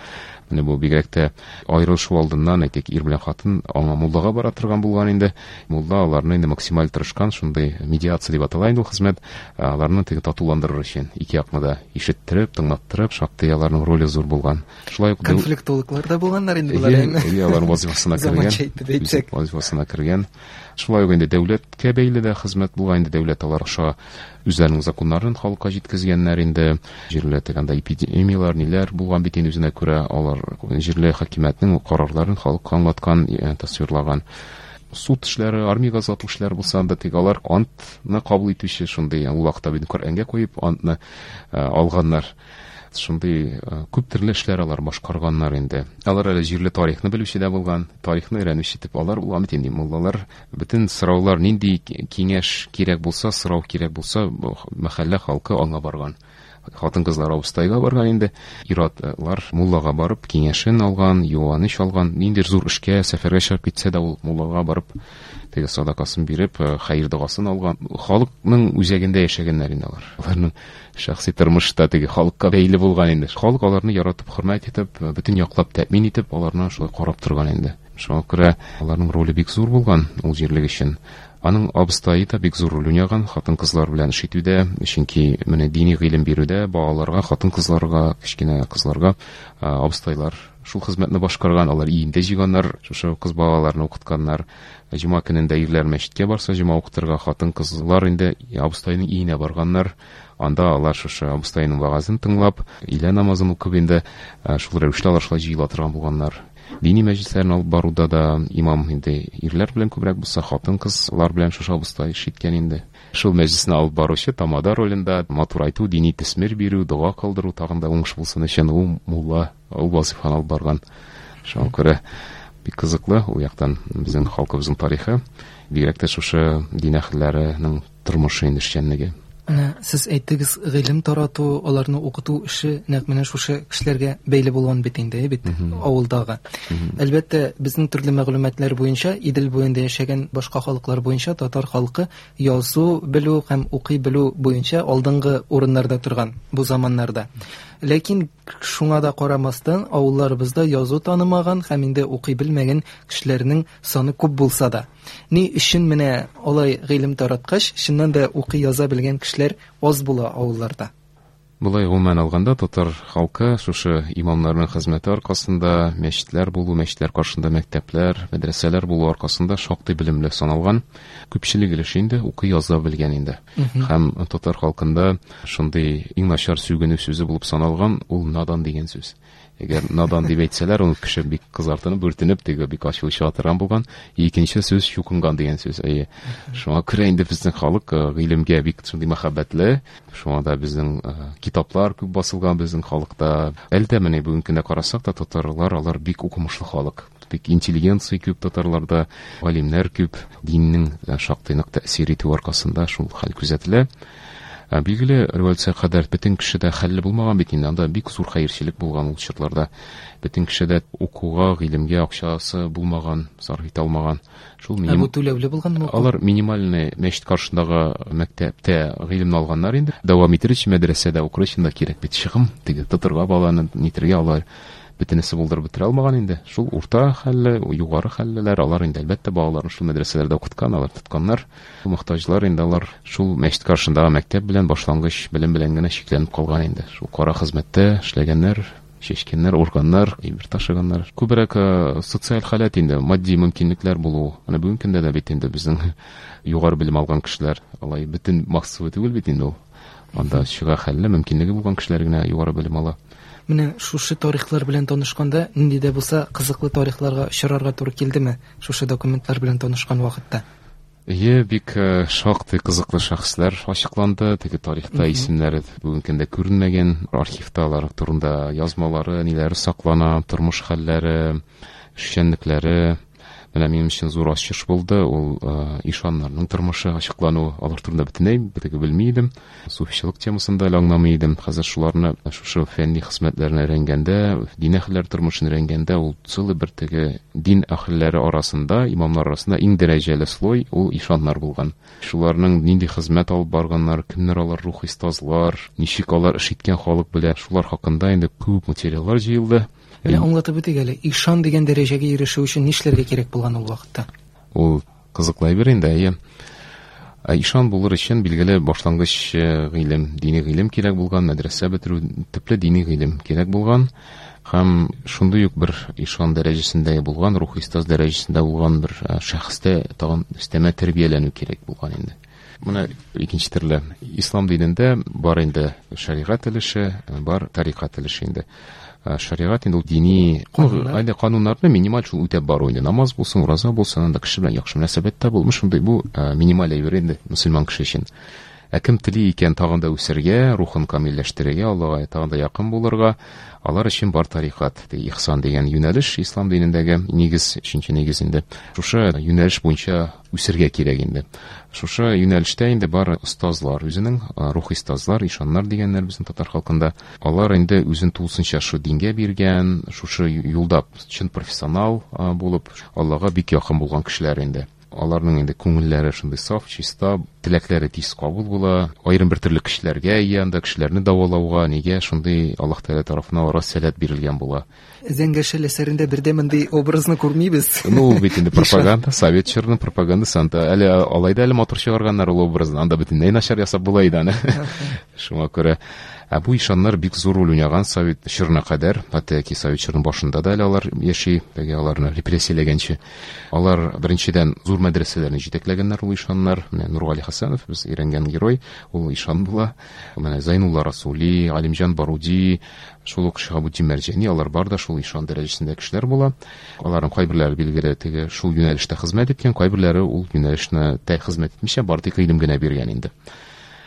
Менә бу бигрәк тә аерылышу алдыннан, әйтик, ир белән хатын аңа муллага бара торган булган инде. Мулла аларны инде максималь тырышкан, шундый медиация дип атала инде ул хезмәт, аларны теге татуландырыр өчен ике якны да ишеттереп, тыңлаттырып, шактый аларның роле зур булган. Шулай ук конфликтологлар да булганнар инде болар. Әйе, алар вазифасына кергән. Вазифасына кергән. Шулай ук инде дәүләткә бәйле дә хезмәт булган инде, дәүләт алар аша үзләренең законнарын халыкка җиткезгәннәр инде. Җирле тегендә эпидемияләр, ниләр булган бит инде, үзенә күрә алар җирле хакимиятнең карарларын халыкка аңлаткан, тасвирлаган. Суд эшләре, армиягә озату эшләре булса да, тик алар антны кабул итүче шундый, ул вакытта бит Коръәнгә куеп антны алганнар. Шундый күп төрле эшләр алар башкарганнар инде. Алар әле җирле тарихны белүче дә булган, тарихны өйрәнүче дип алар булган бит инде муллалар. Бөтен сораулар, нинди киңәш кирәк булса, сорау кирәк булса, мәхәллә халкы аңа барган. Хатын-кызлар абыстайга барган инде, ир-атлар муллага барып киңәшен алган, юаныч алган. Ниндидер зур эшкә, сәфәргә чыгып китсә дә, ул муллага барып теге садакасын биреп, хәер догасын алган. Халыкның үзәгендә яшәгәннәр инде алар. Аларның шәхси тормышы да теге халыкка бәйле булган инде. Халык аларны яратып, хөрмәт итеп, бөтен яклап тәэмин итеп, аларны шулай карап торган инде. Шуңа күрә аларның роле бик зур булган ул җирлек өчен. Аның абыстайы да бик зур роль уйнаган хатын-кызлар белән эш итүдә, чөнки менә дини гыйлем бирүдә балаларга, хатын-кызларга, кечкенә кызларга абыстайлар шул хезмәтне башкарган, алар өендә җыйганнар, шушы кыз балаларны укытканнар. Җомга көнендә ирләр мәчеткә барса, җомга укытырга, хатын-кызлар инде абыстайның өенә барганнар. Анда алар шушы абыстайның вәгазен тыңлап, өйлә намазын укып инде шул рәвешле алар шулай җыела торган булганнар. Дини мәҗлесләрне алып баруда да имам инде ирләр белән күбрәк булса, хатын-кызлар белән шушы абыстай эш иткән инде. Шул мәҗлесне алып баручы тамада ролендә матур айту, дини төсмер бирү, дога кылдыру, тагын да уңыш булсын өчен ул мулла ул вазифаны алып барган. Шуңа күрә бик кызыклы ул яктан безнең халкыбызның тарихы, бигрәк тә шушы дин әһелләренең тормышы инде, эшчәнлеге. Менә сез әйттегез, гыйлем тарату, аларны укыту эше нәкъ менә шушы кешеләргә бәйле булган бит инде, бит авылдагы. Әлбәттә, безнең төрле мәгълүматлар буенча, Идел буенда яшәгән башка халыклар буенча татар халкы язу белү һәм укый белү буенча алдынгы урыннарда торган бу заманнарда. Ләкин шуңа да карамастан, авылларыбызда язу танымаган һәм инде укый белмәгән кешеләрнең саны күп булса да. Ни өчен менә алай гыйлем тараткач, чыннан да укый яза белгән кешеләр аз була авылларда? Болай гомумән алганда татар халкы шушы имамнарның хезмәте аркасында, мәчетләр булу, мәчетләр каршында мәктәпләр, мәдрәсәләр булу аркасында шактый белемле саналган. Күпчелек өлеше инде укый яза белгән инде. Һәм татар халкында шундый иң начар сүгенү сүзе булып саналган ул надан дигән сүз. Әгәр надан дип әйтсәләр, ул кеше бик кызартынып, бүртенеп, теге бик ачуы чыга торган булган. Икенче сүз чукынган дигән сүз. Әйе. Шуңа күрә инде безнең халык гыйлемгә бик шундый мәхәббәтле. Шуңа да безнең китаплар күп басылган безнең халыкта. Әлдә менә бүгенге көндә карасак та, татарлар алар бик укымышлы халык. Бик интеллигенция күп татарларда, галимнәр күп. Диннең шактый нык тәэсир итү аркасында шул хәл күзәтелә. Билгеле, революция кадәр бөтен кеше дә хәлле булмаган бит инде, анда бик зур хәерчелек булган ул чорларда. Бөтен кеше дә укуга, гыйлемгә акчасы булмаган, сарыф итә алмаган. Шул миним... Ә бу түләүле булганмы? Алар минимальный мәчет каршындагы мәктәптә гыйлемне алганнар инде. Дәвам итер өчен мәдрәсәдә укыр өчен дә кирәк бит чыгым, теге тотырга баланы нитергә алар бөтенесе булдырып бетерә алмаган инде. Шул урта хәлле, югары хәллеләр, алар инде әлбәттә балаларын шул мәдрәсәләрдә укыткан, алар тотканнар. Мохтаҗлар инде алар шул мәчет каршындагы мәктәп белән башлангыч белем белән генә чикләнеп калган инде. Шул кара хезмәттә эшләгәннәр, чәчкәннәр, урганнар, әйбер ташыганнар. Күбрәк социаль халәт инде, матди мөмкинлекләр булу. Менә бүгенге көндә дә бит инде безнең югары белем алган кешеләр, алай бөтен массовый түгел бит инде ул. Анда чыга хәлле, мөмкинлеге булган кешеләр генә югары белем ала. Менә шушы тарихлар белән танышканда, нинди дә булса кызыклы тарихларга очрарга туры килдеме шушы документлар белән танышкан вакытта? Әйе, бик шактый кызыклы шәхесләр ачыкланды. Теге тарихта исемнәре бүгенге көндә күренмәгән, архивта алар турында язмалары, ниләре саклана, тормыш хәлләре, эшчәнлекләре. Менә минем өчен зур ачыш булды, ул ишаннарның тормышы ачыклану, алар турында бөтенләй битеге белми идем. Суфичылык темасын да әле аңламый идем. Хәзер шуларны шушы фәнни хезмәтләрен өйрәнгәндә, дин әһелләре тормышын өйрәнгәндә, ул целый бер теге дин әһелләре арасында, имамнар арасында иң дәрәҗәле слой ул ишаннар булган. Шуларның нинди хезмәт алып барганнар, кемнәр алар, рухи остазлар, ничек алар эш иткән халык белән, шулар хакында инде күп материаллар җыелды. Менә аңлатып үтик әле, ишан дигән дәрәҗәгә ирешү өчен нишләргә кирәк булган ул вакытта? Ул кызыклы әйбер инде, әйе. Ишан булыр өчен билгеле башлангыч гыйлем, дини гыйлем кирәк булган, мәдрәсә бетерү, төпле дини гыйлем кирәк булган. Һәм шундый ук бер ишан дәрәҗәсендә булган, рухи остаз дәрәҗәсендә булган бер шәхестә тагын өстәмә тәрбияләнү кирәк булган инде. Менә икенче төрле ислам динендә бар инде шәригать өлеше, бар тарикать өлеше инде. Шәригать инде ул дини инде кануннарны минималь шул үтәп бару инде. Намаз булсын, ураза булсын, анда кеше белән яхшы мөнәсәбәттә булмыш, шундый бу минималь әйбер инде мөселман кеше өчен. Ә кем тели икән тагын да үсәргә, рухын камилләштерергә, Аллага тагын да якын булырга, алар өчен бар тарикат, ихсан дигән юнәлеш ислам динендәге нигез, өченче нигез инде. Шушы юнәлеш буенча үсәргә кирәк инде. Шушы юнәлештә инде бар остазлар, үзенең рухи остазлар, ишаннар дигәннәр безнең татар халкында. Алар инде үзен тулысынча шу дингә биргән, шушы юлда чын профессионал булып, Аллага бик якын булган кешеләр инде. Аларның инде күңелләре шундый саф, чиста, теләкләре тиз кабул була. Аерым бер төрле кешеләргә ия, анда кешеләрне дәвалауга, нигә шундый Аллаһ Тәгалә тарафыннан аларга сәләт бирелгән була. Зәңгәр шәл әсәрендә бердә мондый образны күрмибез. Ну, ул бит инде пропаганда, совет чорының пропагандасы, анда әле алай да әле матур чыгарганнар ул образны, анда бөтенләй начар ясап була иде аны. Шуңа күрә ә бу ишаннар бик зур роль уйнаган совет чорына кадәр, хәтта ки совет чорының башында да әле алар яши, теге аларны репрессияләгәнче. Алар беренчедән зур мәдрәсәләрне җитәкләгәннәр ул ишаннар. Менә Нургали Хәсәнов, без өйрәнгән герой, ул ишан була. Менә Зайнулла Расули, Алимҗан Баруди, шул ук Шиһабетдин Мәрҗани, алар бар да шул ишан дәрәҗәсендә кешеләр була. Аларның кайберләре билгеле теге шул юнәлештә хезмәт иткән, кайберләре ул юнәлешне тә хезмәт итмичә, бары тик гыйлем генә биргән инде.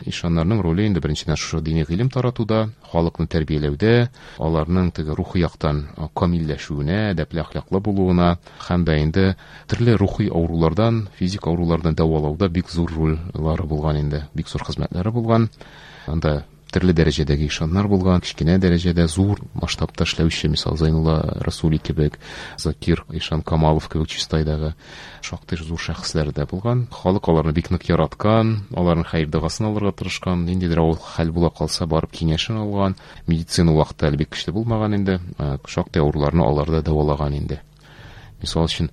Ишаннарның роле инде беренчедән шушы дини гыйлем таратуда, халыкны тәрбияләүдә, аларның теге рухи яктан камилләшүенә, әдәпле әхлаклы булуына һәм дә инде төрле рухи авырулардан, физик авырулардан дәвалауда бик зур рольләре булган инде, бик зур хезмәтләре булган. Анда төрле дәрәҗәдәге ишаннар булган, кечкенә дәрәҗәдә зур масштабта эшләүче, мисал Зайнулла Расули кебек, Закир Ишан Камалов кебек Чистайдагы шактый зур шәхесләр дә булган. Халык аларны бик нык яраткан, аларның хәер догасын алырга тырышкан, ниндидер авыр хәл була калса барып киңәшен алган. Медицина вакыты әле бик көчле булмаган инде, шактый авыруларны алар да дәвалаган инде. Мисал өчен,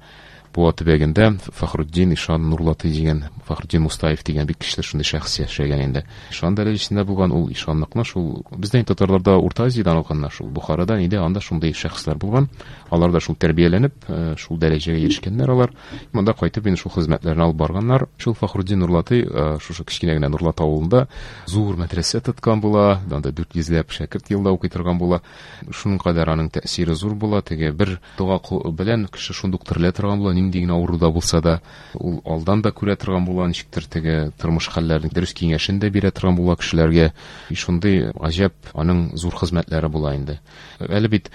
Буа төбәгендә Фәхретдин Ишан Нурлаты дигән, Фәхретдин Мустаев дигән бик көчле шундый шәхес яшәгән инде. Ишан дәрәҗәсендә булган ул ишанлыкны шул бездән татарларда Урта Азиядән алганнар, шул Бухарадан иде, анда шундый шәхесләр булган. Алар да шул тәрбияләнеп, шул дәрәҗәгә ирешкәннәр алар. Монда кайтып инде шул хезмәтләрен алып барганнар. Шул Фәхретдин Нурлаты шушы кечкенә генә Нурлат авылында зур мәдрәсә тоткан була, анда дүрт йөзләп шәкерт елда укый торган була. Шуның кадәр аның тәэсире зур була. Теге бер дога белән кеше шундук терелә торган була, нинди генә авыруда булса да, ул алдан да күрә торган була, ничектер теге тормыш хәлләрен дөрес киңәшен дә бирә торган була кешеләргә. Шундый гаҗәп аның зур хезмәтләре була инде. Әле бит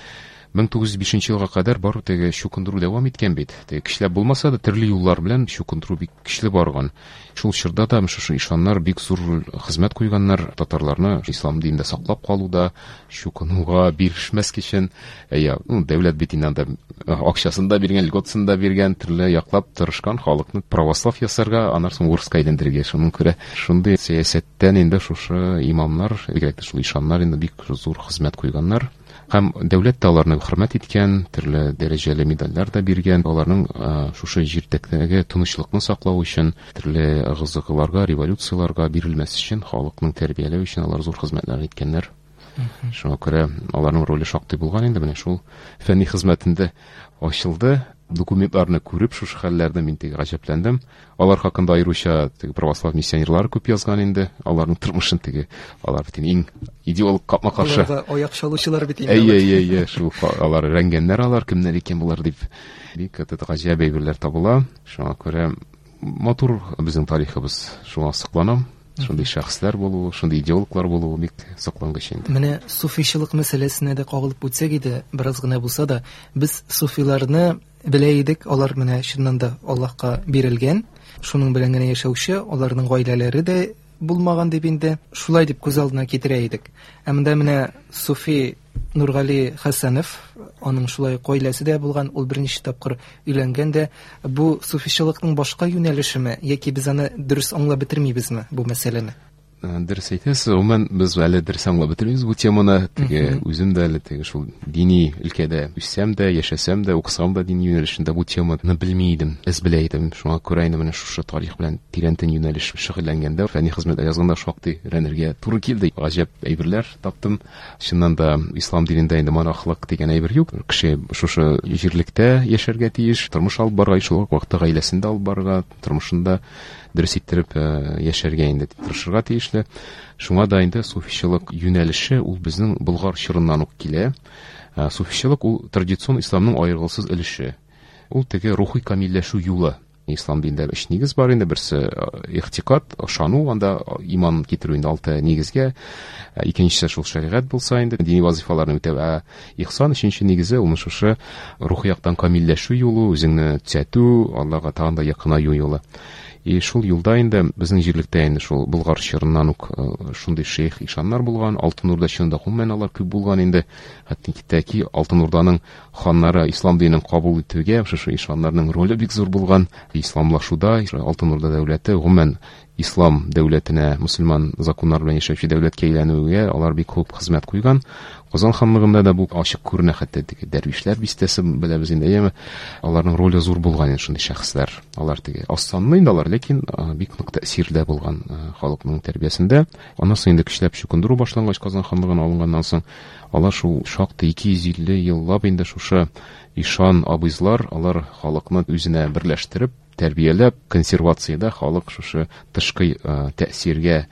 мең тугыз йөз бишенче елга кадәр бар теге чукындыру дәвам иткән бит. Теге кешеләр булмаса да төрле юллар белән чукындыру бик көчле барган. Шул чорда да шушы ишаннар бик зур хезмәт куйганнар татарларны ислам динендә саклап калуда, чукынуга бирешмәс өчен. Әйе, ну, дәүләт бит инде анда акчасын да биргән, льготасын да биргән, төрле яклап тырышкан халыкны православ ясарга, аннан соң урыска әйләндерергә. Шуның күрә шундый сәясәттән инде шушы имамнар, бигрәк тә шул ишаннар инде бик зур хезмәт куйганнар. Һәм дәүләт тә аларны хөрмәт иткән, төрле дәрәҗәле медальләр дә биргән. Аларның шушы җирдәге тынычлыкны саклау өчен, төрле ыгы-зыгыларга, революцияларга бирелмәс өчен, халыкның тәрбияләү өчен алар зур хезмәтләр иткәннәр. Шуңа күрә аларның роле шактый булган инде. Менә шул фәнни хезмәтендә ачылды. Документларны күреп, шушы хәлләрне мин теге гаҗәпләндем. Алар хакында аеруча теге православ миссионерлары күп язган инде. Аларның тормышын теге, алар бит иң идеолог капма-каршы. Аларга аяк чалучылар бит инде. Әйе, әйе, әйе, шул алар өйрәнгәннәр, алар кемнәр икән булар дип. Бик гаҗәп әйберләр табыла. Шуңа күрә матур безнең тарихыбыз. Шуңа сокланам. Шундый шәхесләр булуы, шундый идеологлар булуы бик соклангыч инде. Менә суфичылык мәсьәләсенә дә кагылып үтсәк иде, бераз гына булса да, без суфиларны белә идек, алар менә чыннан да Аллаһка бирелгән, шуның белән генә яшәүче, аларның гаиләләре дә булмаган дип инде шулай дип күз алдына китерә идек. Ә монда менә Суфи Нургали Хәсәнов, аның шулай гаиләсе дә булган, ул берничә тапкыр өйләнгән дә. Бу суфичылыкның башка юнәлешеме яки без аны дөрес аңлап бетермибезме бу мәсьәләне? Дөрес әйтәсез, гомумән без әле дөрес аңлап бетермибез бу теманы. Теге үзем дә әле теге шул дини өлкәдә үссәм дә, яшәсәм дә, укысам да дини юнәлешендә бу теманы белми идем, әз белә идем. Шуңа күрә инде менә шушы тарих белән тирәнтен юнәлеш шөгыльләнгәндә, фәнни хезмәтләр язганда шактый өйрәнергә туры килде. Гаҗәп әйберләр таптым. Чыннан да ислам динендә инде монахлык дигән әйбер юк. Кеше шушы җирлектә яшәргә тиеш, тормыш алып барырга, шул ук вакытта гаиләсен дә алып барырга, тормышында дөрес иттереп яшәргә инде тырышырга тиешле. Шуңа да инде суфичылык юнәлеше ул безнең Болгар чорыннан ук килә. Суфичылык ул традицион исламның аерылгысыз өлеше. Ул теге рухи камилләшү юлы. Ислам динендә өч нигез бар инде. Берсе ихтикад, ышану, анда иман китерү инде алты нигезгә. Икенчесе шул шәригать булса инде дини вазифаларны үтәү. Ә ихсан өченче нигезе ул шушы рухи яктан камилләшү юлы, үзеңне төзәтү, Аллаһка тагын да якынаю юлы. И шул юлда инде безнең җирлектә инде шул Болгар чорыннан ук шундый шейх ишаннар булган, Алтын Урда чорында гомумән алар күп булган инде. Хәтта китәки Алтын Урданың ханнары ислам динен кабул итүгә шушы ишаннарның роле бик зур булган. Исламлашуда Алтын Урда дәүләте гомумән ислам дәүләтенә, мөселман законнары белән яшәүче дәүләткә әйләнүгә алар бик күп хезмәт куйган. Казан ханлыгында да бу ачык күренә, хәтта теге дәрвишләр бистәсе беләбез инде, әйеме? Аларның роле зур булган инде шундый шәхесләр. Алар теге аз санлы инде алар, ләкин бик нык тәэсирдә булган халыкның тәрбиясендә. Аннан соң инде көчләп чукындыру башлангач, Казан ханлыгына алынганнан соң, алар шул шактый ике йөз илле еллап инде шушы ишан абыйлар, алар халыкны үзенә берләштереп, тәрбияләп, консервациядә халык шушы тышкы тәэсиргә,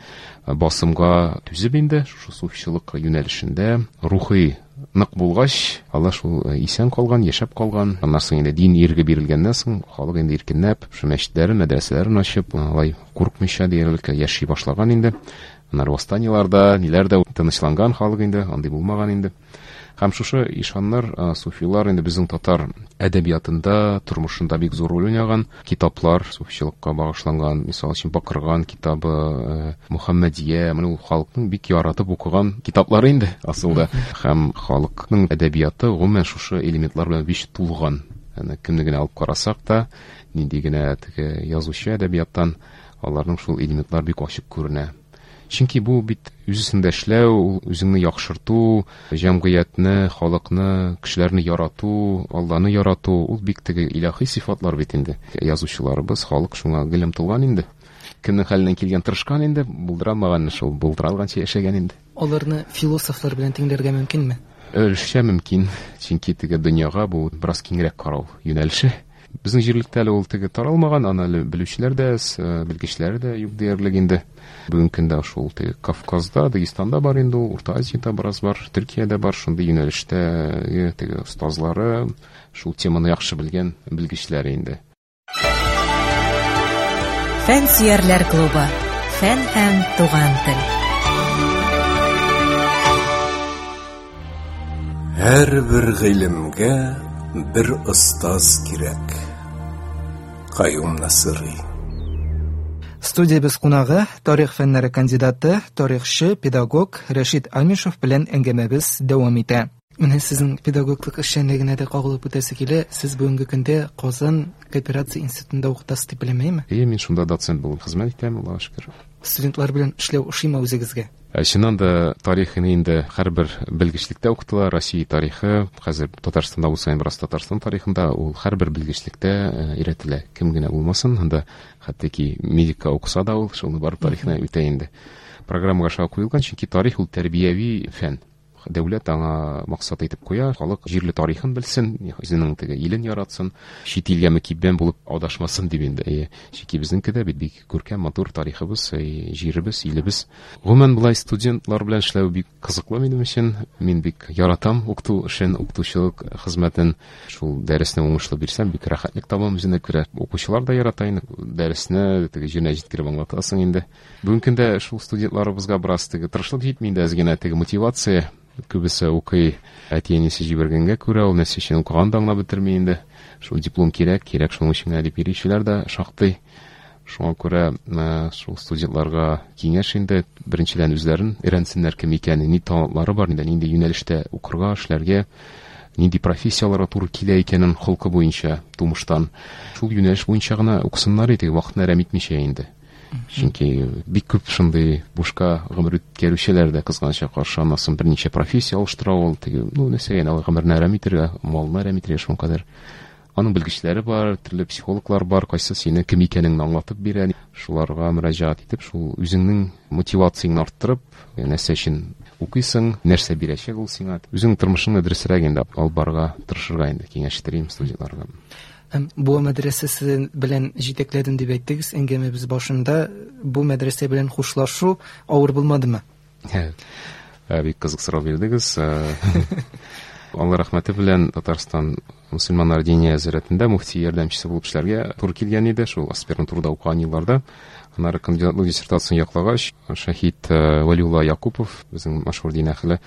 басымга түзеп инде шушы суфичылык юнәлешендә рухи нык булгач, алар шул исән калган, яшәп калган. Аннан соң инде дин ирге бирелгәннән соң халык инде иркенләп шул мәчетләрен, мәдрәсәләрен ачып, алай куркмыйча диярлек яши башлаган инде. Аннары восстаниеларда, ниләр дә тынычланган халык инде, андый булмаган инде. Һәм шушы ишаннар, суфилар инде безнең татар әдәбиятында, тормышында бик зур роль уйнаган. Китаплар суфичылыкка багышланган, мисал өчен Бакырган китабы, Мөхәммәдия, менә ул халыкның бик яратып укыган китаплары инде асылда. Һәм халыкның әдәбияты гомумән шушы элементлар белән бик тулган. Аны кемне генә алып карасак та, нинди генә теге язучы әдәбияттан аларның шул элементлар бик ачык күренә. Чөнки бу бит үз өстендә эшләү, үзеңне яхшырту, җәмгыятьне, халыкны, кешеләрне ярату, Алланы ярату, ул бик теге илаһи сыйфатлар бит инде. Язучыларыбыз, халык шуңа гел омтылган инде. Кемнең хәленнән килгән тырышкан инде, булдыра алмаган шул булдыра алганча яшәгән инде. Аларны философлар белән тиңләргә мөмкинме? Өлешчә мөмкин, чөнки теге дөньяга бу бераз киңрәк карау юнәлеше. Безнең җирлектә әле ул теге таралмаган, аны әле белүчеләр дә, белгечләр дә юк диярлек инде. Бүгенге көндә шул теге Кавказда, Дагестанда бар инде ул, Урта Азиядә бераз бар, Төркиядә бар, шундый юнәлештә теге остазлары, шул теманы яхшы белгән белгечләр инде. Фән сөярләр клубы. Фән һәм туган тел. Һәрбер гыйлемгә бер остаз кирәк. Каюм Насыйри. Студиябез кунагы тарих фәннәре кандидаты, тарихчы, педагог Рәшит Амишев белән әңгәмәбез дәвам итә. Менә сезнең педагоглык эшчәнлегенә дә кагылып үтәсе килә. Сез бүгенге көндә Казан кооперация институтында укытасыз дип беләм, әйеме? Әйе, мин шунда доцент булып хезмәт итәм, Аллаһка шөкер. Студентлар белән эшләү ошыймы үзегезгә? Чыннан да тарихын инде һәрбер белгечлектә укытыла. Россия тарихы, хәзер Татарстанда булса, бераз Татарстан тарихында ул һәрбер белгечлектә өйрәтелә. Кем генә булмасын, анда хәтта ки медика укыса да ул шуны барып тарихына үтә инде. Программага шуңа куелган, чөнки тарих ул тәрбияви фән. Дәүләт аңа максат итеп куя, халык җирле тарихын белсен, үзенең теге илен яратсын, чит илгә мөкиббән булып адашмасын дип инде. Әйе, чөнки безнеңке дә бит бик күркәм, матур тарихыбыз, җиребез, илебез. Гомумән, болай студентлар белән эшләү бик кызыклы минем өчен. Мин бик яратам укыту эшен, укытучылык хезмәтен. Шул дәресне уңышлы бирсәм, бик рәхәтлек табам үзенә күрә. Укучылар да ярата инде дәресне, теге җиренә җиткереп аңлатасың инде. Бүгенге көндә шул студентларыбызга бераз теге тырышлык җитми инде, әз генә теге мотивация Күбесе укый әти-әнисе җибәргәнгә күрә, ул нәрсә өчен укыганын да аңлап бетерми инде. Шул диплом кирәк, кирәк шуның өчен генә дип йөрүчеләр дә шактый. Шуңа күрә шул студентларга киңәш инде, беренчедән үзләрен өйрәнсеннәр кем икәнен, ни талантлары бар, нинди юнәлештә укырга, эшләргә, нинди профессияларга туры килә икәнен холкы буенча, тумыштан. Шул юнәлеш буенча гына укысыннар иде, вакытны әрәм итмичә инде. Чөнки бик күп шундый бушка гомер үткәрүчеләр дә кызганычка каршы, аннан соң берничә профессия алыштыра ул, теге, ну, нәрсәгә инде гомерне әрәм итәргә, малны әрәм итәргә шуның кадәр. Аның белгечләре бар, төрле психологлар бар, кайсы сине кем икәнеңне аңлатып бирә. Шуларга мөрәҗәгать итеп, шул үзеңнең мотивацияңне арттырып, нәрсә өчен укыйсың, нәрсә бирәчәк ул сиңа. Үзеңнең тормышыңны дөресрәк инде алып барырга тырышырга инде киңәш итәрем студентларга. Һәм Буа мәдрәсәсе белән җитәкләдем дип әйттегез әңгәмәбез башында. Бу мәдрәсә белән хушлашу авыр булмадымы? Бик кызык сорау бирдегез. Алла рәхмәте белән Татарстан мөселманнар диния нәзарәтендә мөфти ярдәмчесе булып эшләргә туры килгән иде, шул аспирантурада укыган елларда. Аннары кандидатлык диссертациясен яклагач, шәһид Вәлиулла Якупов, безнең мәшһүр дин әһеле,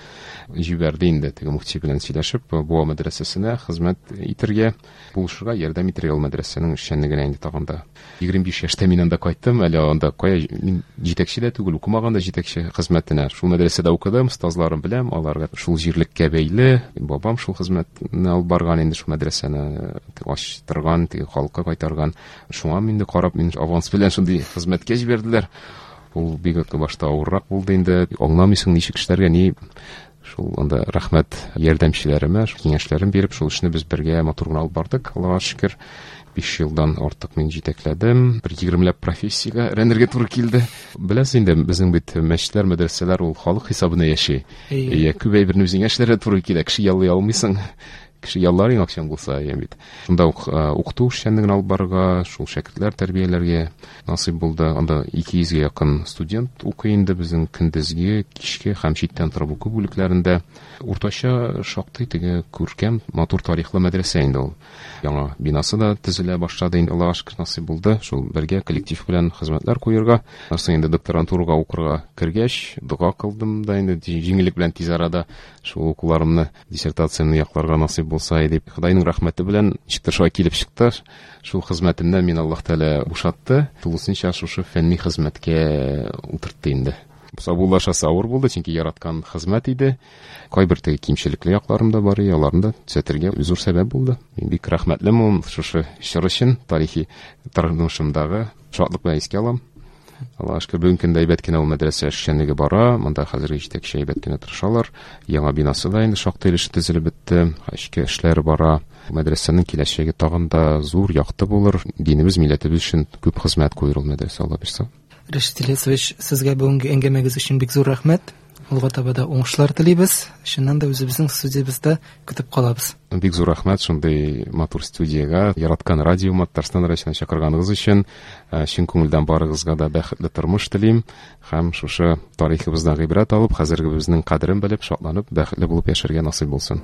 җибәрде инде теге мөфти белән сөйләшеп, Буа мәдрәсәсенә хезмәт итәргә, булышырга, ярдәм итәргә ул мәдрәсәнең эшчәнлегенә инде тагын да. Егерме биш яшьтә мин анда кайттым, әле анда кая мин җитәкче дә түгел, укымаган да җитәкче хезмәтенә. Шул мәдрәсәдә укыдым, остазларым беләм, аларга шул җирлеккә бәйле, бабам шул хезмәтне алып барган инде, шул мәдрәсәне ачтырган, теге халыкка кайтарган. Шуңа инде карап, мин аванс белән шундый хезмәткә җибәрделәр. Ул бик башта авыррак булды инде, аңламыйсың ничек эшләргә, ни. Шул анда рәхмәт ярдәмчеләремә, шул киңәшләрен биреп, шул эшне без бергә матур гына алып бардык, Аллага шөкер. Биш елдан артык мин җитәкләдем. Бер егермеләп профессиягә өйрәнергә туры килде. Беләсез инде, безнең бит мәчетләр, мәдрәсәләр ул халык хисабына яши. Иә, күп әйберне үзеңә эшләргә туры килә, кеше яллый алмыйсың. Кеше яллар иң акчаң булса, иә бит. Шунда ук укыту эшчәнлеген алып барырга, шул шәкертләр тәрбияләргә насыйп булды. Анда ике йөзгә якын студент укый инде безнең көндезге, кичке һәм читтән торып уку бүлекләрендә. Уртача шактый теге күркәм, матур тарихлы мәдрәсә инде ул. Яңа бинасы да төзелә башлады инде, Аллага шөкер, насыйп булды. Шул бергә коллектив белән хезмәтләр куярга. Аннан инде докторантурага укырга кергәч, дога кылдым да инде җиңеллек белән тиз арада шул укуларымны, диссертациямне якларга насыйп булса дип, Ходайның рәхмәте белән ничектер шулай килеп чыкты. Шул хезмәтемнән мин Аллаһ Тәгалә бушатты. Тулысынча шушы фәнни хезмәткә утыртты инде. Саубуллашасы авыр булды, чөнки яраткан хезмәт иде. Кайбер теге кимчелекле якларым да бар, аларны да төзәтергә зур сәбәп булды. Мин бик рәхмәтлемен шушы чор өчен, тарихи тормышымдагы шатлык белән искә алам. Аллаһ шөкер, бүгенге көндә әйбәт кенә ул мәдрәсә эшчәнлеге бара. Монда хәзерге җитәкче әйбәт кенә тырышалар. Яңа бинасы да инде шактый өлеше төзелеп бетте. Эчке эшләр бара. Мәдрәсәнең киләчәге тагын да зур, якты булыр. Динебез, милләтебез өчен күп хезмәт куер ул мәдрәсә, Алла бирсә. Рәшит Ильясович, сезгә бүгенге әңгәмәгез өчен бик зур рәхмәт. Алга таба да уңышлар телибез. Чыннан да үзебезнең студиябездә көтеп калабыз. Бик зур рәхмәт шундый матур студиягә, яраткан радиома, Татарстан радиосына чакырганыгыз өчен. Чын күңелдән барыгызга да бәхетле тормыш телим һәм шушы тарихыбыздан гыйбрәт алып, хәзергебезнең кадерен белеп, шатланып, бәхетле булып яшәргә насыйп булсын.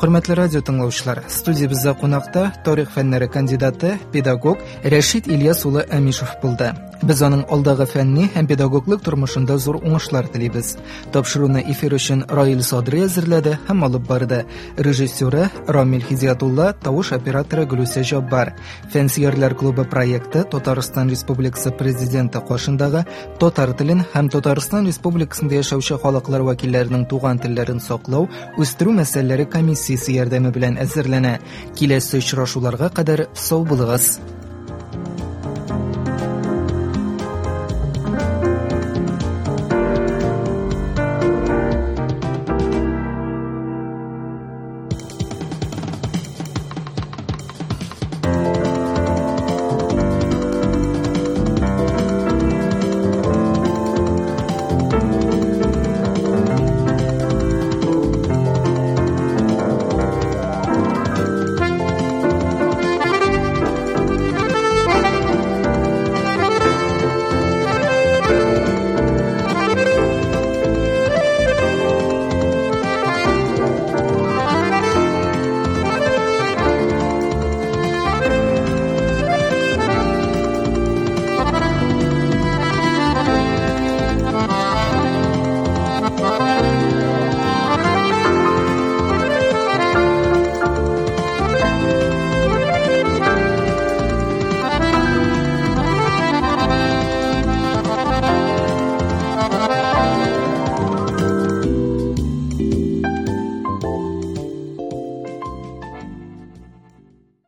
Хөрмәтле радио тыңлаучылар, студиябездә кунакта тарих фәннәре кандидаты, педагог Рәшит Ильяс улы Әмишев булды. Без аның алдагы фәнни һәм педагоглык тормышында зур уңышлар телибез. Тапшыруны эфир өчен Раил Садри әзерләде һәм алып барды. Режиссеры Рамил Хидиятулла, тавыш операторы Гөлүсә Җаббар. Фәнсөярләр клубы проекты Татарстан Республикасы Президенты каршындагы татар телен һәм Татарстан Республикасында яшәүче халыклар вәкилләренең туган телләрен саклау, үстерү мәсьәләләре комиссиясе ярдәме белән әзерләнә. Киләсе очрашуларга кадәр сау булыгыз.